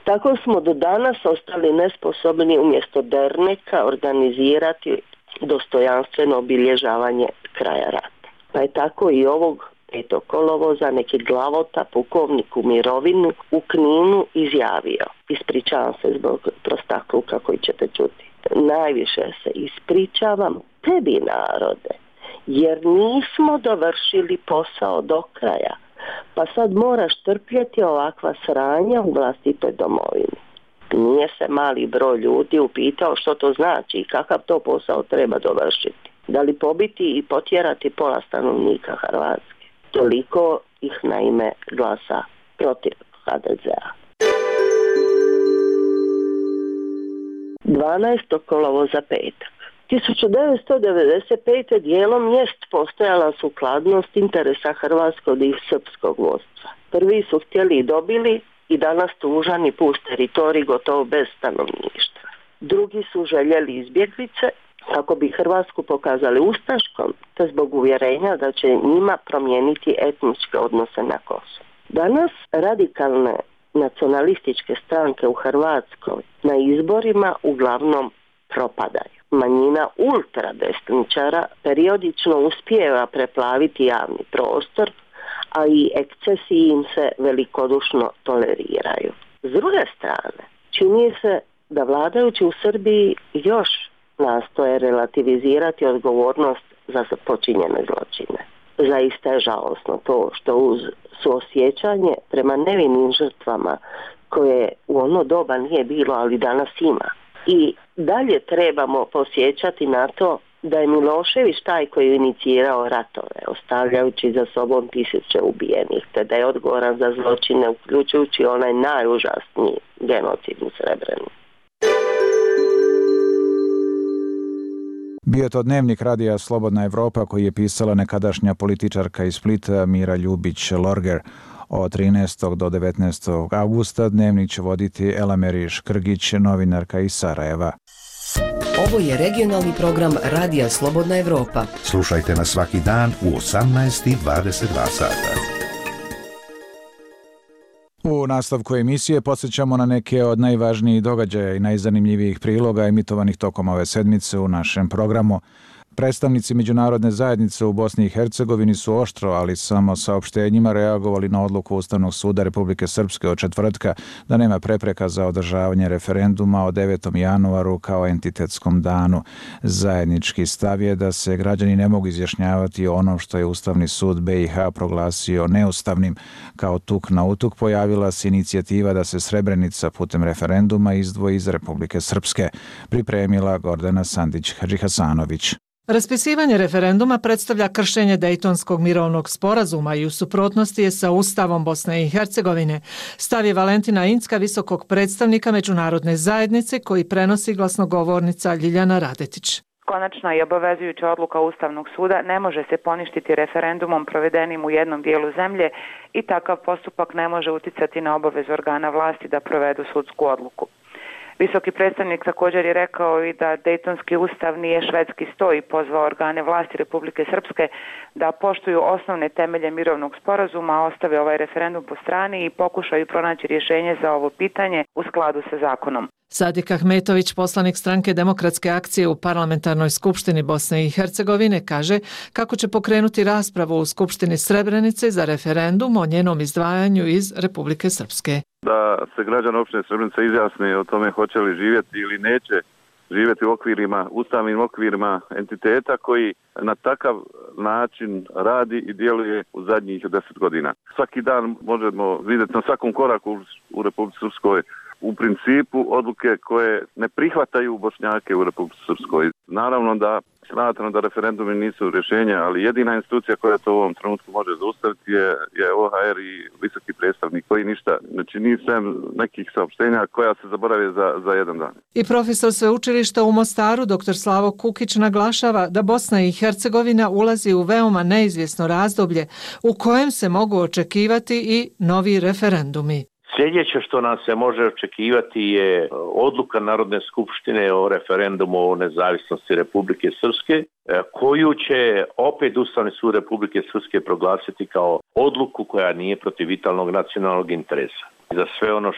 tako smo do danas ostali nesposobni umjesto derneka organizirati dostojanstveno obilježavanje kraja rata. Pa je tako i ovog 5. kolovoza neki glavota pukovnik u mirovinu u Kninu izjavio: ispričavam se zbog prostakluka koji ćete čuti. Najviše se ispričavam tebi, narode, jer nismo dovršili posao do kraja, pa sad moraš trpjeti ovakva sranja u vlastitoj domovini. Nije se mali broj ljudi upitao što to znači i kakav to posao treba dovršiti. Da li pobiti i potjerati pola stanovnika Hrvatske? Toliko ih naime glasa protiv HDZ-a. 12. kolovoza petak. 1995. dijelom jest postojala sukladnost interesa hrvatskog i srpskog vodstva. Prvi su htjeli i dobili i danas tužani pust teritorij gotovo bez stanovništva. Drugi su željeli izbjeglice kako bi Hrvatsku pokazali ustaškom, te zbog uvjerenja da će njima promijeniti etničke odnose na Kosovu. Danas radikalne nacionalističke stranke u Hrvatskoj na izborima uglavnom propadaju. Manjina ultradesničara periodično uspijeva preplaviti javni prostor, a i ekscesiji im se velikodušno toleriraju. S druge strane, čini se da vladajući u Srbiji još nastoje relativizirati odgovornost za počinjene zločine. Zaista je žalosno to što uz suosjećanje prema nevinim žrtvama koje u ono doba nije bilo, ali danas ima. I dalje trebamo posjećati na to da je Milošević taj koji je inicirao ratove, ostavljajući za sobom tisuće ubijenih, te da je odgovoran za zločine, uključujući onaj najužasniji genocid u Srebrenici. Bio je to dnevnik radija Slobodna Evropa koji je pisala nekadašnja političarka iz Splita Mira Ljubić-Lorger. Od 13. do 19. augusta dnevnik će voditi Elameri Škrgić, novinarka iz Sarajeva. Ovo je regionalni program Radija Slobodna Evropa. Slušajte nas svaki dan u 18:22 sata. U nastavku emisije podsjećamo na neke od najvažnijih događaja i najzanimljivijih priloga emitovanih tokom ove sedmice u našem programu. Predstavnici međunarodne zajednice u Bosni i Hercegovini su oštro, ali samo saopštenjima reagovali na odluku Ustavnog suda Republike Srpske od četvrtka da nema prepreka za održavanje referenduma o 9. januaru kao entitetskom danu. Zajednički stav je da se građani ne mogu izjašnjavati o onom što je Ustavni sud BiH proglasio neustavnim. Kao tuk na utuk pojavila se inicijativa da se Srebrenica putem referenduma izdvoji iz Republike Srpske. Pripremila Gordana Sandić-Hadžihasanović. Raspisivanje referenduma predstavlja kršenje Dejtonskog mirovnog sporazuma i u suprotnosti je sa Ustavom Bosne i Hercegovine. Stav je Valentina Incka, visokog predstavnika međunarodne zajednice, koji prenosi glasnogovornica Ljiljana Radetić. Konačna i obavezujuća odluka Ustavnog suda ne može se poništiti referendumom provedenim u jednom dijelu zemlje i takav postupak ne može uticati na obavezu organa vlasti da provedu sudsku odluku. Visoki predstavnik također je rekao i da Dejtonski ustav nije švedski sto i pozvao organe vlasti Republike Srpske da poštuju osnovne temelje mirovnog sporazuma, ostave ovaj referendum po strani i pokušaju pronaći rješenje za ovo pitanje u skladu sa zakonom. Sadik Ahmetović, poslanik stranke Demokratske akcije u Parlamentarnoj skupštini Bosne i Hercegovine, kaže kako će pokrenuti raspravu u Skupštini Srebrenice za referendum o njenom izdvajanju iz Republike Srpske. Da se građani opštine Srebrenica izjasne o tome hoće li živjeti ili neće živjeti u okvirima, ustavnim okvirima entiteta koji na takav način radi i djeluje u zadnjih 10 godina. Svaki dan možemo vidjeti na svakom koraku u Republici Srpskoj u principu odluke koje ne prihvataju Bošnjake u Republici Srpskoj. Naravno da smatram da referendumi nisu rješenja, ali jedina institucija koja to u ovom trenutku može zaustaviti je OHR i visoki predstavnik koji ništa ne čini sem nekih saopštenja koja se zaborave za jedan dan. I profesor sveučilišta u Mostaru, dr. Slavo Kukić, naglašava da Bosna i Hercegovina ulazi u veoma neizvjesno razdoblje u kojem se mogu očekivati i novi referendumi. Sljedeće što nam se može očekivati je odluka Narodne skupštine o referendumu o nezavisnosti Republike Srpske, koju će opet Ustavni sud Republike Srpske proglasiti kao odluku koja nije protiv vitalnog nacionalnog interesa. Za sve ono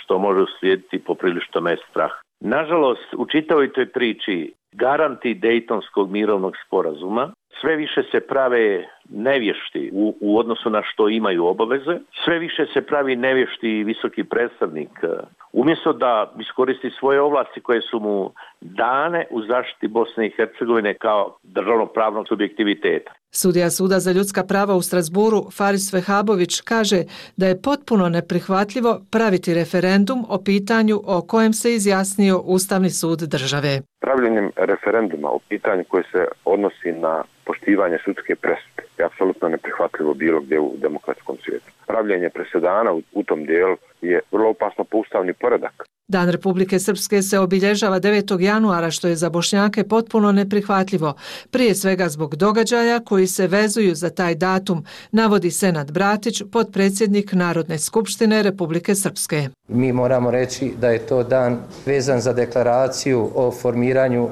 što može uslijediti poprilično me strah. Nažalost, u čitavoj toj priči garanti Dejtonskog mirovnog sporazuma sve više se prave nevješti u odnosu na što imaju obaveze, sve više se pravi nevješti visoki predstavnik. Umjesto da iskoristi svoje ovlasti koje su mu dane u zaštiti Bosne i Hercegovine kao državnopravnog subjektiviteta. Sudija Suda za ljudska prava u Strasburu Faris Vehabović kaže da je potpuno neprihvatljivo praviti referendum o pitanju o kojem se izjasnio Ustavni sud države. Pravljenjem referenduma o pitanju koje se odnosi na poštivanje sudske presude je apsolutno neprihvatljivo bilo gdje u demokratskom svijetu. Pravljenje presedana u tom dijelu je vrlo opasno po ustavni poredak. Dan Republike Srpske se obilježava 9. januara, što je za Bošnjake potpuno neprihvatljivo, prije svega zbog događaja koji se vezuju za taj datum, navodi Senad Bratić, potpredsjednik Narodne skupštine Republike Srpske. Mi moramo reći da je to dan vezan za deklaraciju o formiranju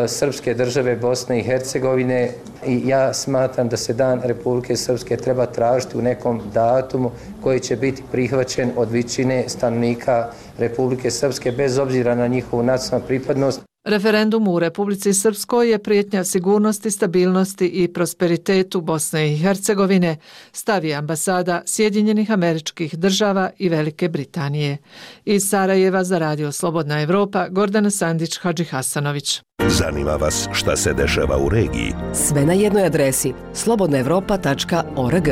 Srpske države Bosne i Hercegovine i ja smatram da se dan Republike Srpske treba tražiti u nekom datumu koji će biti prihvaćen od većine stanovnika Republike Srpske bez obzira na njihovu nacionalnu pripadnost. Referendum u Republici Srpskoj je prijetnja sigurnosti, stabilnosti i prosperitetu Bosne i Hercegovine, stavi ambasada Sjedinjenih Američkih Država i Velike Britanije. Iz Sarajeva za Radio Slobodna Evropa, Gordana Sandić-Hadžihasanović. Zanima vas šta se dešava u regiji? Sve na jednoj adresi slobodnaevropa.org.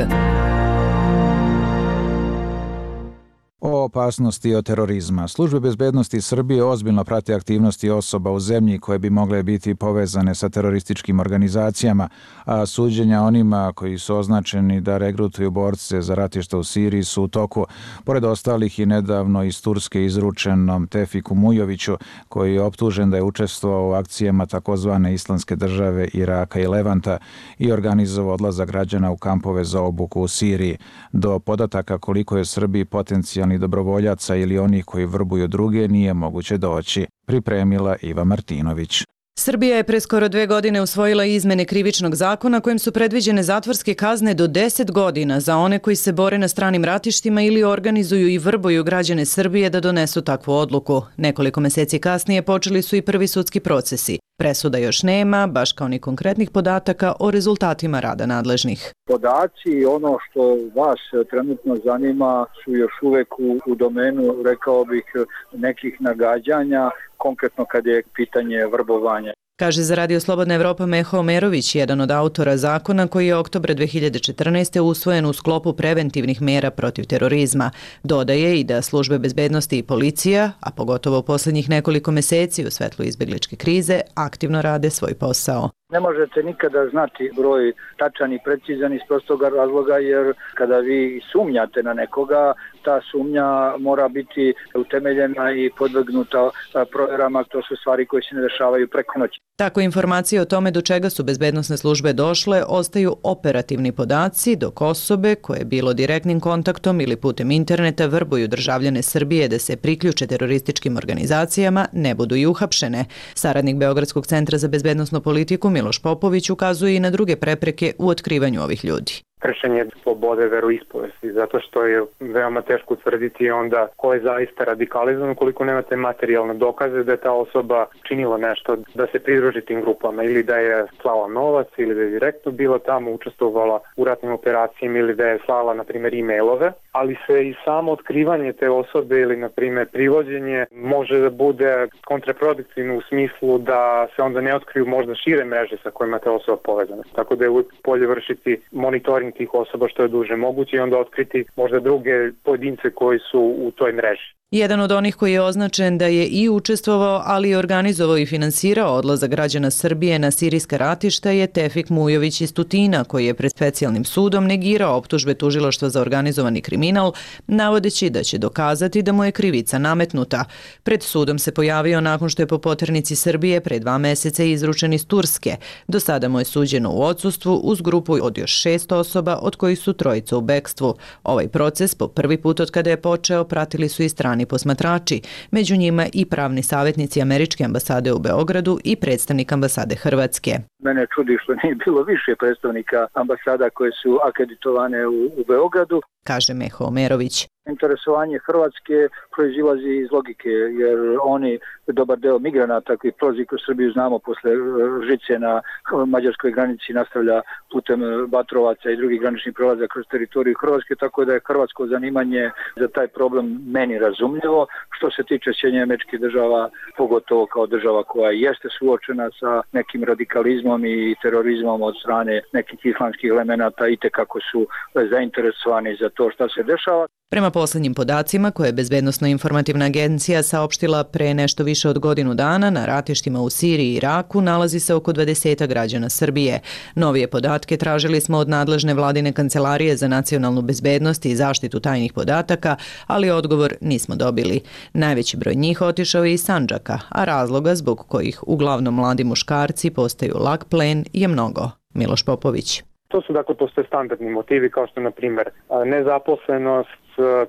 O opasnosti od terorizma. Službe bezbednosti Srbije ozbiljno prate aktivnosti osoba u zemlji koje bi mogle biti povezane sa terorističkim organizacijama, a suđenja onima koji su označeni da regrutuju borce za ratišta u Siriji su u toku. Pored ostalih i nedavno iz Turske izručenom Tefiku Mujoviću, koji je optužen da je učestvovao u akcijama takozvane Islamske države Iraka i Levanta i organizovao odlazak građana u kampove za obuku u Siriji. Do podataka koliko je u Srbiji potencijalni dobrovoljaca ili onih koji vrbuju druge nije moguće doći, pripremila Iva Martinović. Srbija je pre skoro 2 godine usvojila izmene krivičnog zakona kojim su predviđene zatvorske kazne do 10 godina za one koji se bore na stranim ratištima ili organizuju i vrbuju građane Srbije da donesu takvu odluku. Nekoliko meseci kasnije počeli su i prvi sudski procesi. Presuda još nema, baš kao ni konkretnih podataka o rezultatima rada nadležnih. Podaci i ono što vas trenutno zanima su još uvek u domenu, rekao bih, nekih nagađanja, konkretno kad je pitanje vrbovanja. Kaže za Radio Slobodna Evropa Meho Omerović, jedan od autora zakona koji je oktobra 2014. usvojen u sklopu preventivnih mera protiv terorizma. Dodaje i da službe bezbednosti i policija, a pogotovo u posljednjih nekoliko meseci u svetlu izbegličke krize, aktivno rade svoj posao. Ne možete nikada znati broj tačan i precizan iz prostog razloga, jer kada vi sumnjate na nekoga, ta sumnja mora biti utemeljena i podvrgnuta provjerama. To su stvari koje se ne dešavaju preko noći. Tako informacije o tome do čega su bezbednosne službe došle ostaju operativni podaci, dok osobe koje bilo direktnim kontaktom ili putem interneta vrbuju državljane Srbije da se priključe terorističkim organizacijama ne budu i uhapšene. Saradnik Beogradskog centra za bezbednosnu politiku Miloš Popović ukazuje i na druge prepreke u otkrivanju ovih ljudi. Kršenje slobode veroispovesti, zato što je veoma teško utvrditi onda ko je zaista radikalizovan ukoliko nemate materijalne dokaze da je ta osoba činila nešto, da se pridruži tim grupama ili da je slala novac ili da je direktno bila tamo, učestvovala u ratnim operacijama ili da je slala, na primjer, e-mailove, ali se i samo otkrivanje te osobe ili, na primjer, privođenje može da bude kontraproduktivno u smislu da se onda ne otkriju možda šire mreže sa kojima te osoba povezana. Tako da je uvijek bolje vršiti monitoring tih osoba što je duže moguće i onda otkriti možda druge pojedince koji su u toj mreži. Jedan od onih koji je označen da je i učestvovao, ali i organizovao i finansirao odlazak građana Srbije na sirijska ratišta je Tefik Mujović iz Tutina, koji je pred specijalnim sudom negirao optužbe tužilaštva za organizovani kriminal, navodeći da će dokazati da mu je krivica nametnuta. Pred sudom se pojavio nakon što je po poternici Srbije pre 2 meseca izručen iz Turske. Do sada mu je suđeno u odsustvu uz grupu od još 6 osoba, od kojih su 3 u bekstvu. Ovaj proces po prvi put od kada je počeo pratili su i strani posmatrači, među njima i pravni savjetnici Američke ambasade u Beogradu i predstavnik ambasade Hrvatske. Mene čudi što nije bilo više predstavnika ambasada koje su akreditovane u Beogradu, kaže Meho Omerović. Interesovanje Hrvatske proizilazi iz logike, jer oni, dobar deo migranata koji prolazi kroz Srbiju, znamo, posle žice na mađarskoj granici nastavlja putem Batrovaca i drugih graničnih prelaza kroz teritoriju Hrvatske, tako da je hrvatsko zanimanje za taj problem meni razumljivo. Što se tiče Sjedinjenih Američkih Država, pogotovo kao država koja jeste suočena sa nekim radikalizmom i terorizmom od strane nekih islamskih elemenata, i tekako su zainteresovani za to šta se dešava. Prema posljednjim podacima koje je Bezbednosno-informativna agencija saopštila pre nešto više od godinu dana, na ratištima u Siriji i Iraku nalazi se oko 20 građana Srbije. Novije podatke tražili smo od nadležne vladine kancelarije za nacionalnu bezbednost i zaštitu tajnih podataka, ali odgovor nismo dobili. Najveći broj njih otišao je iz Sandžaka, a razloga zbog kojih uglavnom mladi muškarci postaju lak plen je mnogo. Miloš Popović. To su, dakle, postoje standardni motivi kao što, na primjer, nezaposlenost,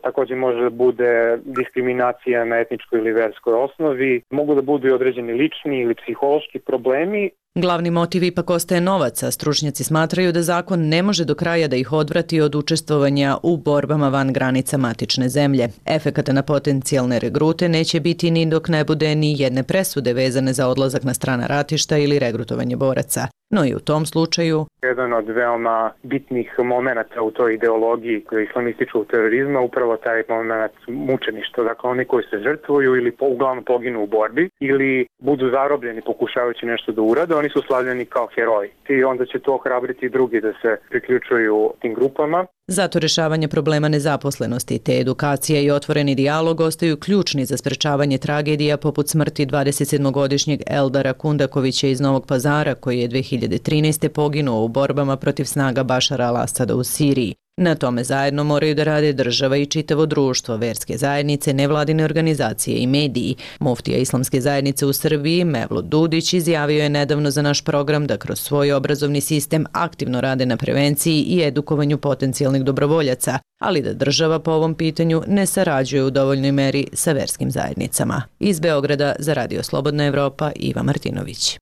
također može da bude diskriminacija na etničkoj ili verskoj osnovi, mogu da budu i određeni lični ili psihološki problemi Glavni motiv ipak ostaje novac, a stručnjaci smatraju da zakon ne može do kraja da ih odvrati od učestvovanja u borbama van granica matične zemlje. Efekata na potencijalne regrute neće biti ni dok ne bude ni jedne presude vezane za odlazak na strana ratišta ili regrutovanje boraca. No i u tom slučaju jedan od veoma bitnih momenata u toj ideologiji islamističkog terorizma upravo taj moment mučeništva. Dakle, oni koji se žrtvuju ili uglavnom poginu u borbi ili budu zarobljeni pokušavajući nešto da urade, oni su slavljeni kao heroji. I onda će to ohrabriti drugi da se priključuju tim grupama. Zato rješavanje problema nezaposlenosti te edukacija i otvoreni dijalog ostaju ključni za sprečavanje tragedija poput smrti 27-godišnjeg Eldara Kundakovića iz Novog Pazara koji je 2013. poginuo u borbama protiv snaga Bašara al-Asada u Siriji. Na tome zajedno moraju da rade država i čitavo društvo, verske zajednice, nevladine organizacije i mediji. Muftija Islamske zajednice u Srbiji, Mevlut Dudić, izjavio je nedavno za naš program da kroz svoj obrazovni sistem aktivno rade na prevenciji i edukovanju potencijalnih dobrovoljaca, ali da država po ovom pitanju ne sarađuje u dovoljnoj meri sa verskim zajednicama. Iz Beograda za Radio Slobodna Evropa, Iva Martinović.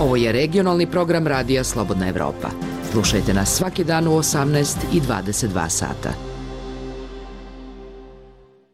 Ovo je regionalni program Radija Slobodna Evropa. Slušajte nas svaki dan u 18 i 22 sata.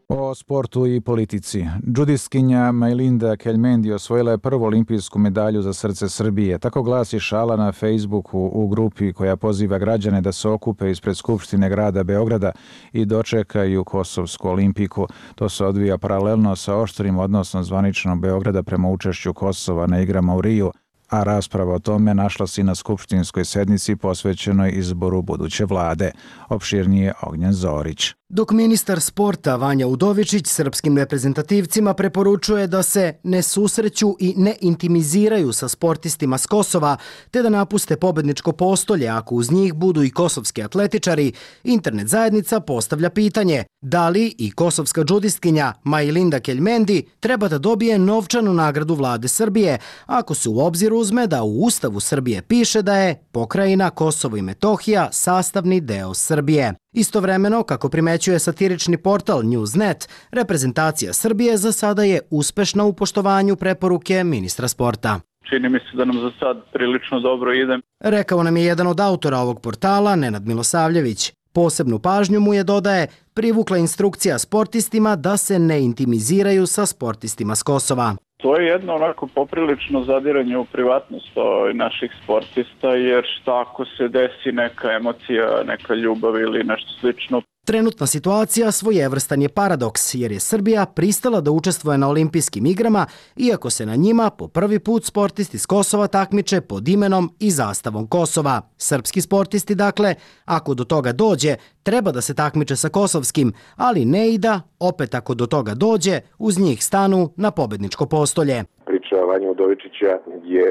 O sportu i politici. Džudistkinja Majlinda Keljmendi osvojila je prvu olimpijsku medalju za srce Srbije. Tako glasi šala na Facebooku u grupi koja poziva građane da se okupe ispred Skupštine grada Beograda i dočekaju Kosovsku olimpiku. To se odvija paralelno sa oštrim odnosom zvaničnog Beograda prema učešću Kosova na igrama u Riju, a rasprava o tome našla se i na skupštinskoj sednici posvećenoj izboru buduće vlade. Opširnije Ognjen Zorić. Dok ministar sporta Vanja Udovičić srpskim reprezentativcima preporučuje da se ne susreću i ne intimiziraju sa sportistima s Kosova, te da napuste pobedničko postolje ako uz njih budu i kosovski atletičari, internet zajednica postavlja pitanje da li i kosovska džudistkinja Majlinda Keljmendi treba da dobije novčanu nagradu vlade Srbije, ako se u obzir uzme da u Ustavu Srbije piše da je pokrajina Kosovo i Metohija sastavni deo Srbije. Istovremeno, kako primećuje satirični portal Newsnet, reprezentacija Srbije za sada je uspešna u poštovanju preporuke ministra sporta. Čini mi se da nam za sad prilično dobro ide. Rekao nam je jedan od autora ovog portala, Nenad Milosavljević. Posebnu pažnju mu je, dodaje, privukla instrukcija sportistima da se ne intimiziraju sa sportistima s Kosova. To je jedno onako poprilično zadiranje u privatnost naših sportista, jer šta ako se desi neka emocija, neka ljubav ili nešto slično. Trenutna situacija svojevrstan je paradoks, jer je Srbija pristala da učestvuje na olimpijskim igrama, iako se na njima po prvi put sportisti s Kosova takmiče pod imenom i zastavom Kosova. Srpski sportisti, dakle, ako do toga dođe, treba da se takmiče sa kosovskim, ali ne i da, opet ako do toga dođe, uz njih stanu na pobedničko postolje. Priča Vanja Udovičića je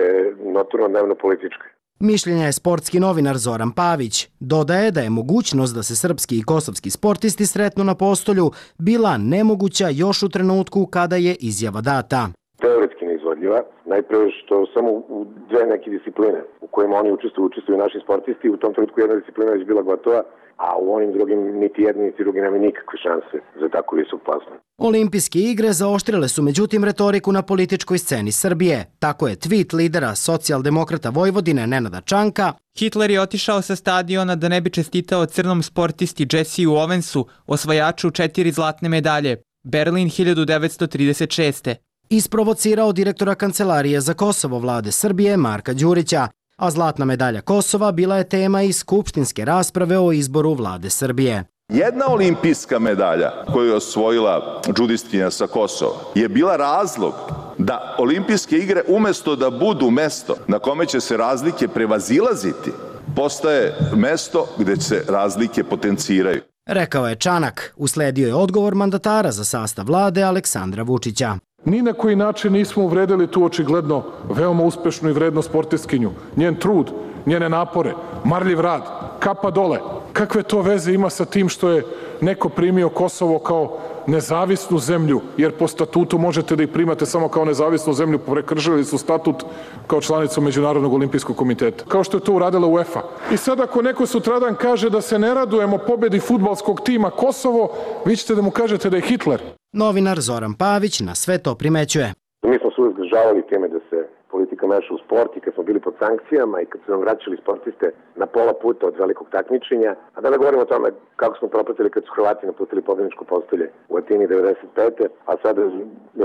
notorno dnevno politička. Mišljenja je sportski novinar Zoran Pavić. Dodaje da je mogućnost da se srpski i kosovski sportisti sretnu na postolju bila nemoguća još u trenutku kada je izjava data. Teoretski neizvodljiva, najprve što samo u dve neke discipline u kojima oni učestvuju naši sportisti, u tom trenutku jedna disciplina je bila gotova, a u onim drugim niti jedni niti drugi nema nikakve šanse za tako visok plasman. Olimpijske igre zaoštrile su međutim retoriku na političkoj sceni Srbije. Tako je tweet lidera socijaldemokrata Vojvodine Nenada Čanka: Hitler je otišao sa stadiona da ne bi čestitao crnom sportisti Jessiju Owensu, osvajaču 4 zlatne medalje. Berlin 1936. Isprovocirao direktora Kancelarije za Kosovo vlade Srbije Marka Đurića, a zlatna medalja Kosova bila je tema i skupštinske rasprave o izboru vlade Srbije. Jedna olimpijska medalja koju je osvojila džudistkinja sa Kosova je bila razlog da olimpijske igre umesto da budu mesto na kome će se razlike prevazilaziti, postaje mesto gde se razlike potenciraju. Rekao je Čanak. Usledio je odgovor mandatara za sastav vlade Aleksandra Vučića. Ni na koji način nismo uvredili tu očigledno veoma uspešnu i vrednu sportistkinju. Njen trud, njene napore, marljiv rad, kapa dole. Kakve to veze ima sa tim što je neko primio Kosovo kao nezavisnu zemlju, jer po statutu možete da ih primate samo kao nezavisnu zemlju, prekršili su statut kao članica Međunarodnog olimpijskog komiteta, kao što je to uradila UEFA. I sad ako neko sutradan kaže da se ne radujemo pobedi fudbalskog tima Kosovo, vi ćete da mu kažete da je Hitler. Novinar Zoran Pavić na sve to primećuje. Mi smo su uvijek zgražavali teme da se politika meša u sport i kad smo bili pod sankcijama i kad su nam vraćali sportiste na pola puta od velikog takmičenja. A da ne govorimo o tome kako smo propatili kad su Hrvati napustili pobjedničko postolje u Atini 95. A sada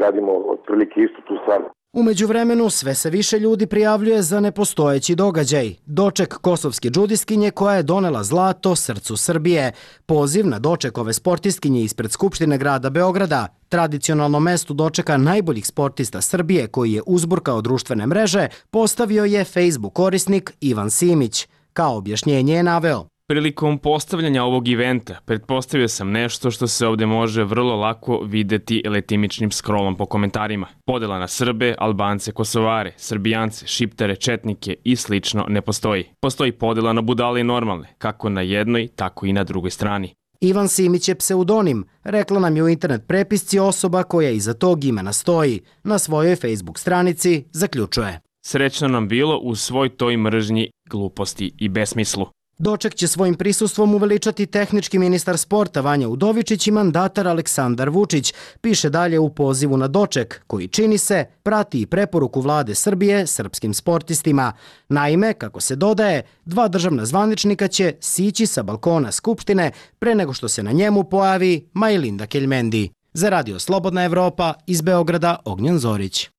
radimo otprilike istu tu stvar. U međuvremenu sve se više ljudi prijavljuje za nepostojeći događaj. Doček kosovske džudiskinje koja je donela zlato srcu Srbije. Poziv na doček ove sportistkinje ispred Skupštine grada Beograda, tradicionalno mesto dočeka najboljih sportista Srbije koji je uzburkao društvene mreže, postavio je Facebook korisnik Ivan Simić. Kao objašnjenje je naveo: prilikom postavljanja ovog eventa pretpostavio sam nešto što se ovdje može vrlo lako videti letimičnim scrollom po komentarima. Podjela na Srbe, Albance, Kosovare, Srbijance, Šiptare, Četnike i slično ne postoji. Postoji podjela na budale i normalne, kako na jednoj, tako i na drugoj strani. Ivan Simić je pseudonim, rekla nam je u internet prepisci osoba koja iza tog imena stoji. Na svojoj Facebook stranici zaključuje: srećno nam bilo u svoj toj mržnji, gluposti i besmislu. Doček će svojim prisustvom uveličati tehnički ministar sporta Vanja Udovičić i mandatar Aleksandar Vučić, piše dalje u pozivu na doček, koji čini se prati i preporuku vlade Srbije srpskim sportistima. Naime, kako se dodaje, 2 državna zvaničnika će sići sa balkona Skupštine pre nego što se na njemu pojavi Majlinda Keljmendi. Za Radio Slobodna Evropa, iz Beograda, Ognjen Zorić.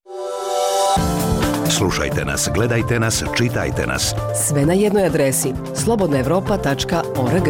Slušajte nas, gledajte nas, čitajte nas. Sve na jednoj adresi slobodnaevropa.org.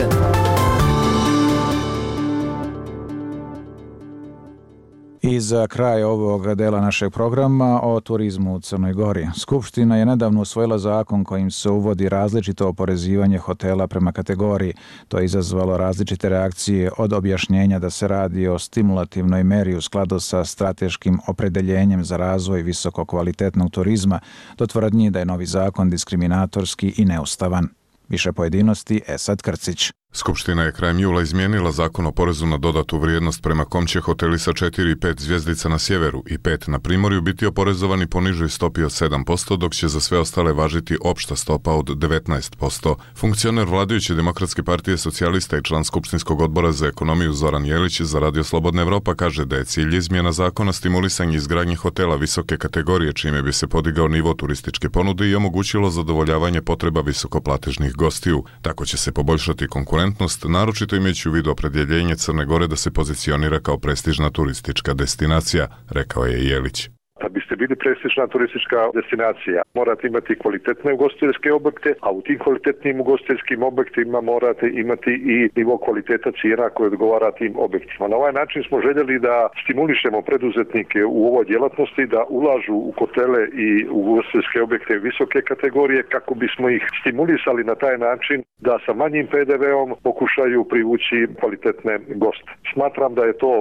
I za kraj ovog dela našeg programa o turizmu u Crnoj Gori. Skupština je nedavno usvojila zakon kojim se uvodi različito oporezivanje hotela prema kategoriji. To je izazvalo različite reakcije, od objašnjenja da se radi o stimulativnoj meri u skladu sa strateškim opredeljenjem za razvoj visokokvalitetnog turizma, do tvrdnji da je novi zakon diskriminatorski i neustavan. Više pojedinosti, Esad Krcić. Skupština je krajem jula izmijenila zakon o porezu na dodatu vrijednost prema kom će hoteli sa 4 i 5 zvjezdica na sjeveru i 5 na primorju biti oporezovani po nižoj stopi od 7%, dok će za sve ostale važiti opšta stopa od 19%. Funkcioner vladajuće Demokratske partije socijalista i član Skupštinskog odbora za ekonomiju Zoran Jelić za Radio Slobodna Evropa kaže da je cilj izmjena zakona stimulisanje izgradnje hotela visoke kategorije, čime bi se podigao nivo turističke ponude i omogućilo zadovoljavanje potreba visokoplatežnih gostiju. Tako će se poboljšati konkurentnost, naročito imajući u vidu opredjeljenje Crne Gore da se pozicionira kao prestižna turistička destinacija, rekao je Jelić. Da biste bili prestižna turistička destinacija, morate imati kvalitetne ugostiteljske objekte, a u tim kvalitetnim ugostiteljskim objektima morate imati i nivo kvaliteta cijena koje odgovara tim objektima. Na ovaj način smo željeli da stimulišemo preduzetnike u ovoj djelatnosti da ulažu u hotele i ugostiteljske objekte visoke kategorije kako bismo ih stimulisali na taj način da sa manjim PDV-om pokušaju privući kvalitetne goste. Smatram da je to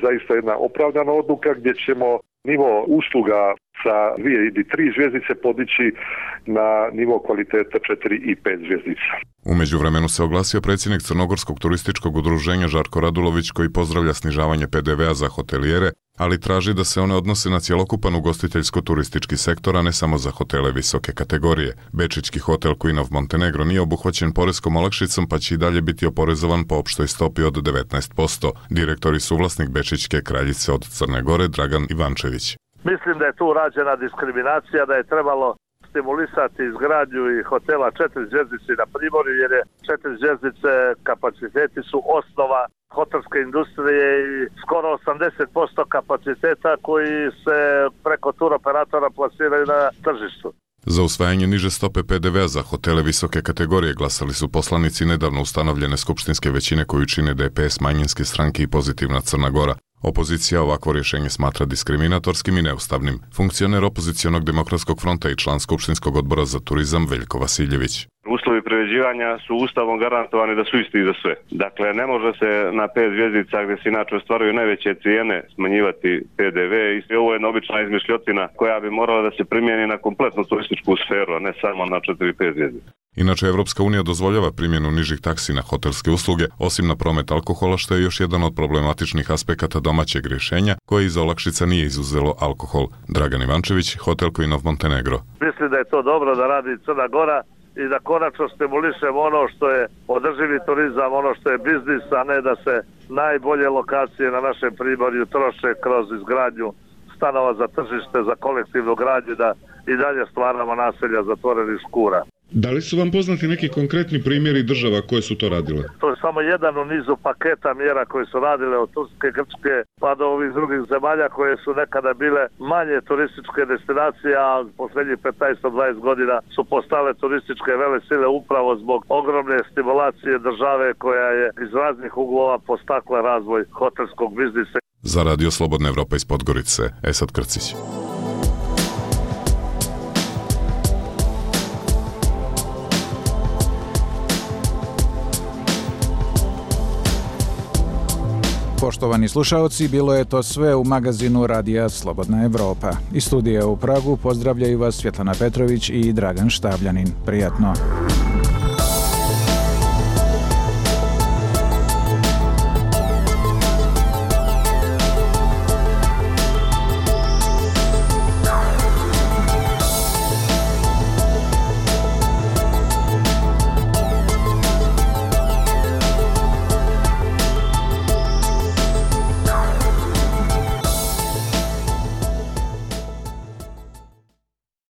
zaista jedna opravdana odluka gdje ćemo nivo usluga sa 2 ili 3 zvjezdice podići na nivo kvaliteta 4 i 5 zvjezdica. U međuvremenu se oglasio predsjednik Crnogorskog turističkog udruženja Žarko Radulović koji pozdravlja snižavanje PDV-a za hotelijere, ali traži da se one odnose na cjelokupan ugostiteljsko-turistički sektor, a ne samo za hotele visoke kategorije. Bečićki hotel Queen of Montenegro nije obuhvaćen poreskom olakšicom pa će i dalje biti oporezovan po opštoj stopi od 19%. Direktor i suvlasnik Bečićke kraljice od Crne Gore Dragan Ivančević. Mislim da je tu rađena diskriminacija, da je trebalo stimulisati izgradnju i hotela 4 zvjezdice na primorju, jer je 4 zvjezdice kapaciteti su osnova hotelske industrije i skoro 80% kapaciteta koji se preko tur operatora plasiraju na tržištu. Za usvajanje niže stope PDV-a za hotele visoke kategorije glasali su poslanici nedavno ustanovljene skupštinske većine koju čine DPS, manjinske stranke i Pozitivna Crna Gora. Opozicija ovakvo rješenje smatra diskriminatorskim i neustavnim. Funkcioner opozicionog demokratskog fronta i član Skupštinskog odbora za turizam Veljko Vasiljević. Uslovi privređivanja su ustavom garantovani da su isti za sve. Dakle, ne može se na 5 zvjezdica gdje se inače ostvaruju najveće cijene smanjivati PDV i ovo je jedna obična izmišljotina koja bi morala da se primijeni na kompletnu turističku sferu, a ne samo na 4-5 zvjezdica. Inače, Evropska unija dozvoljava primjenu nižih taksi na hotelske usluge, osim na promet alkohola, što je još jedan od problematičnih aspekata domaćeg rješenja, koje iza olakšica nije izuzelo alkohol. Dragan Ivančević, hotel Queen of Montenegro. Mislim da je to dobro da radi Crna Gora i da konačno stimulišemo ono što je održivi turizam, ono što je biznis, a ne da se najbolje lokacije na našem primorju troše kroz izgradnju stanova za tržište, za kolektivnu gradnju, da i dalje stvaramo naselja zatvorenih škura. Da li su vam poznati neki konkretni primjeri država koje su to radile? To je samo jedan u nizu paketa mjera koje su radile od Turske, Grčke pa do ovih drugih zemalja koje su nekada bile manje turističke destinacije, a poslednjih 15-20 godina su postale turističke velesile upravo zbog ogromne stimulacije države koja je iz raznih uglova postakla razvoj hotelskog biznisa. Za Radio Slobodna Evropa iz Podgorice, Esad Krcić. Poštovani slušaoci, bilo je to sve u magazinu Radija Slobodna Evropa. Iz studija u Pragu pozdravljaju vas Svjetlana Petrović i Dragan Štabljanin. Prijatno.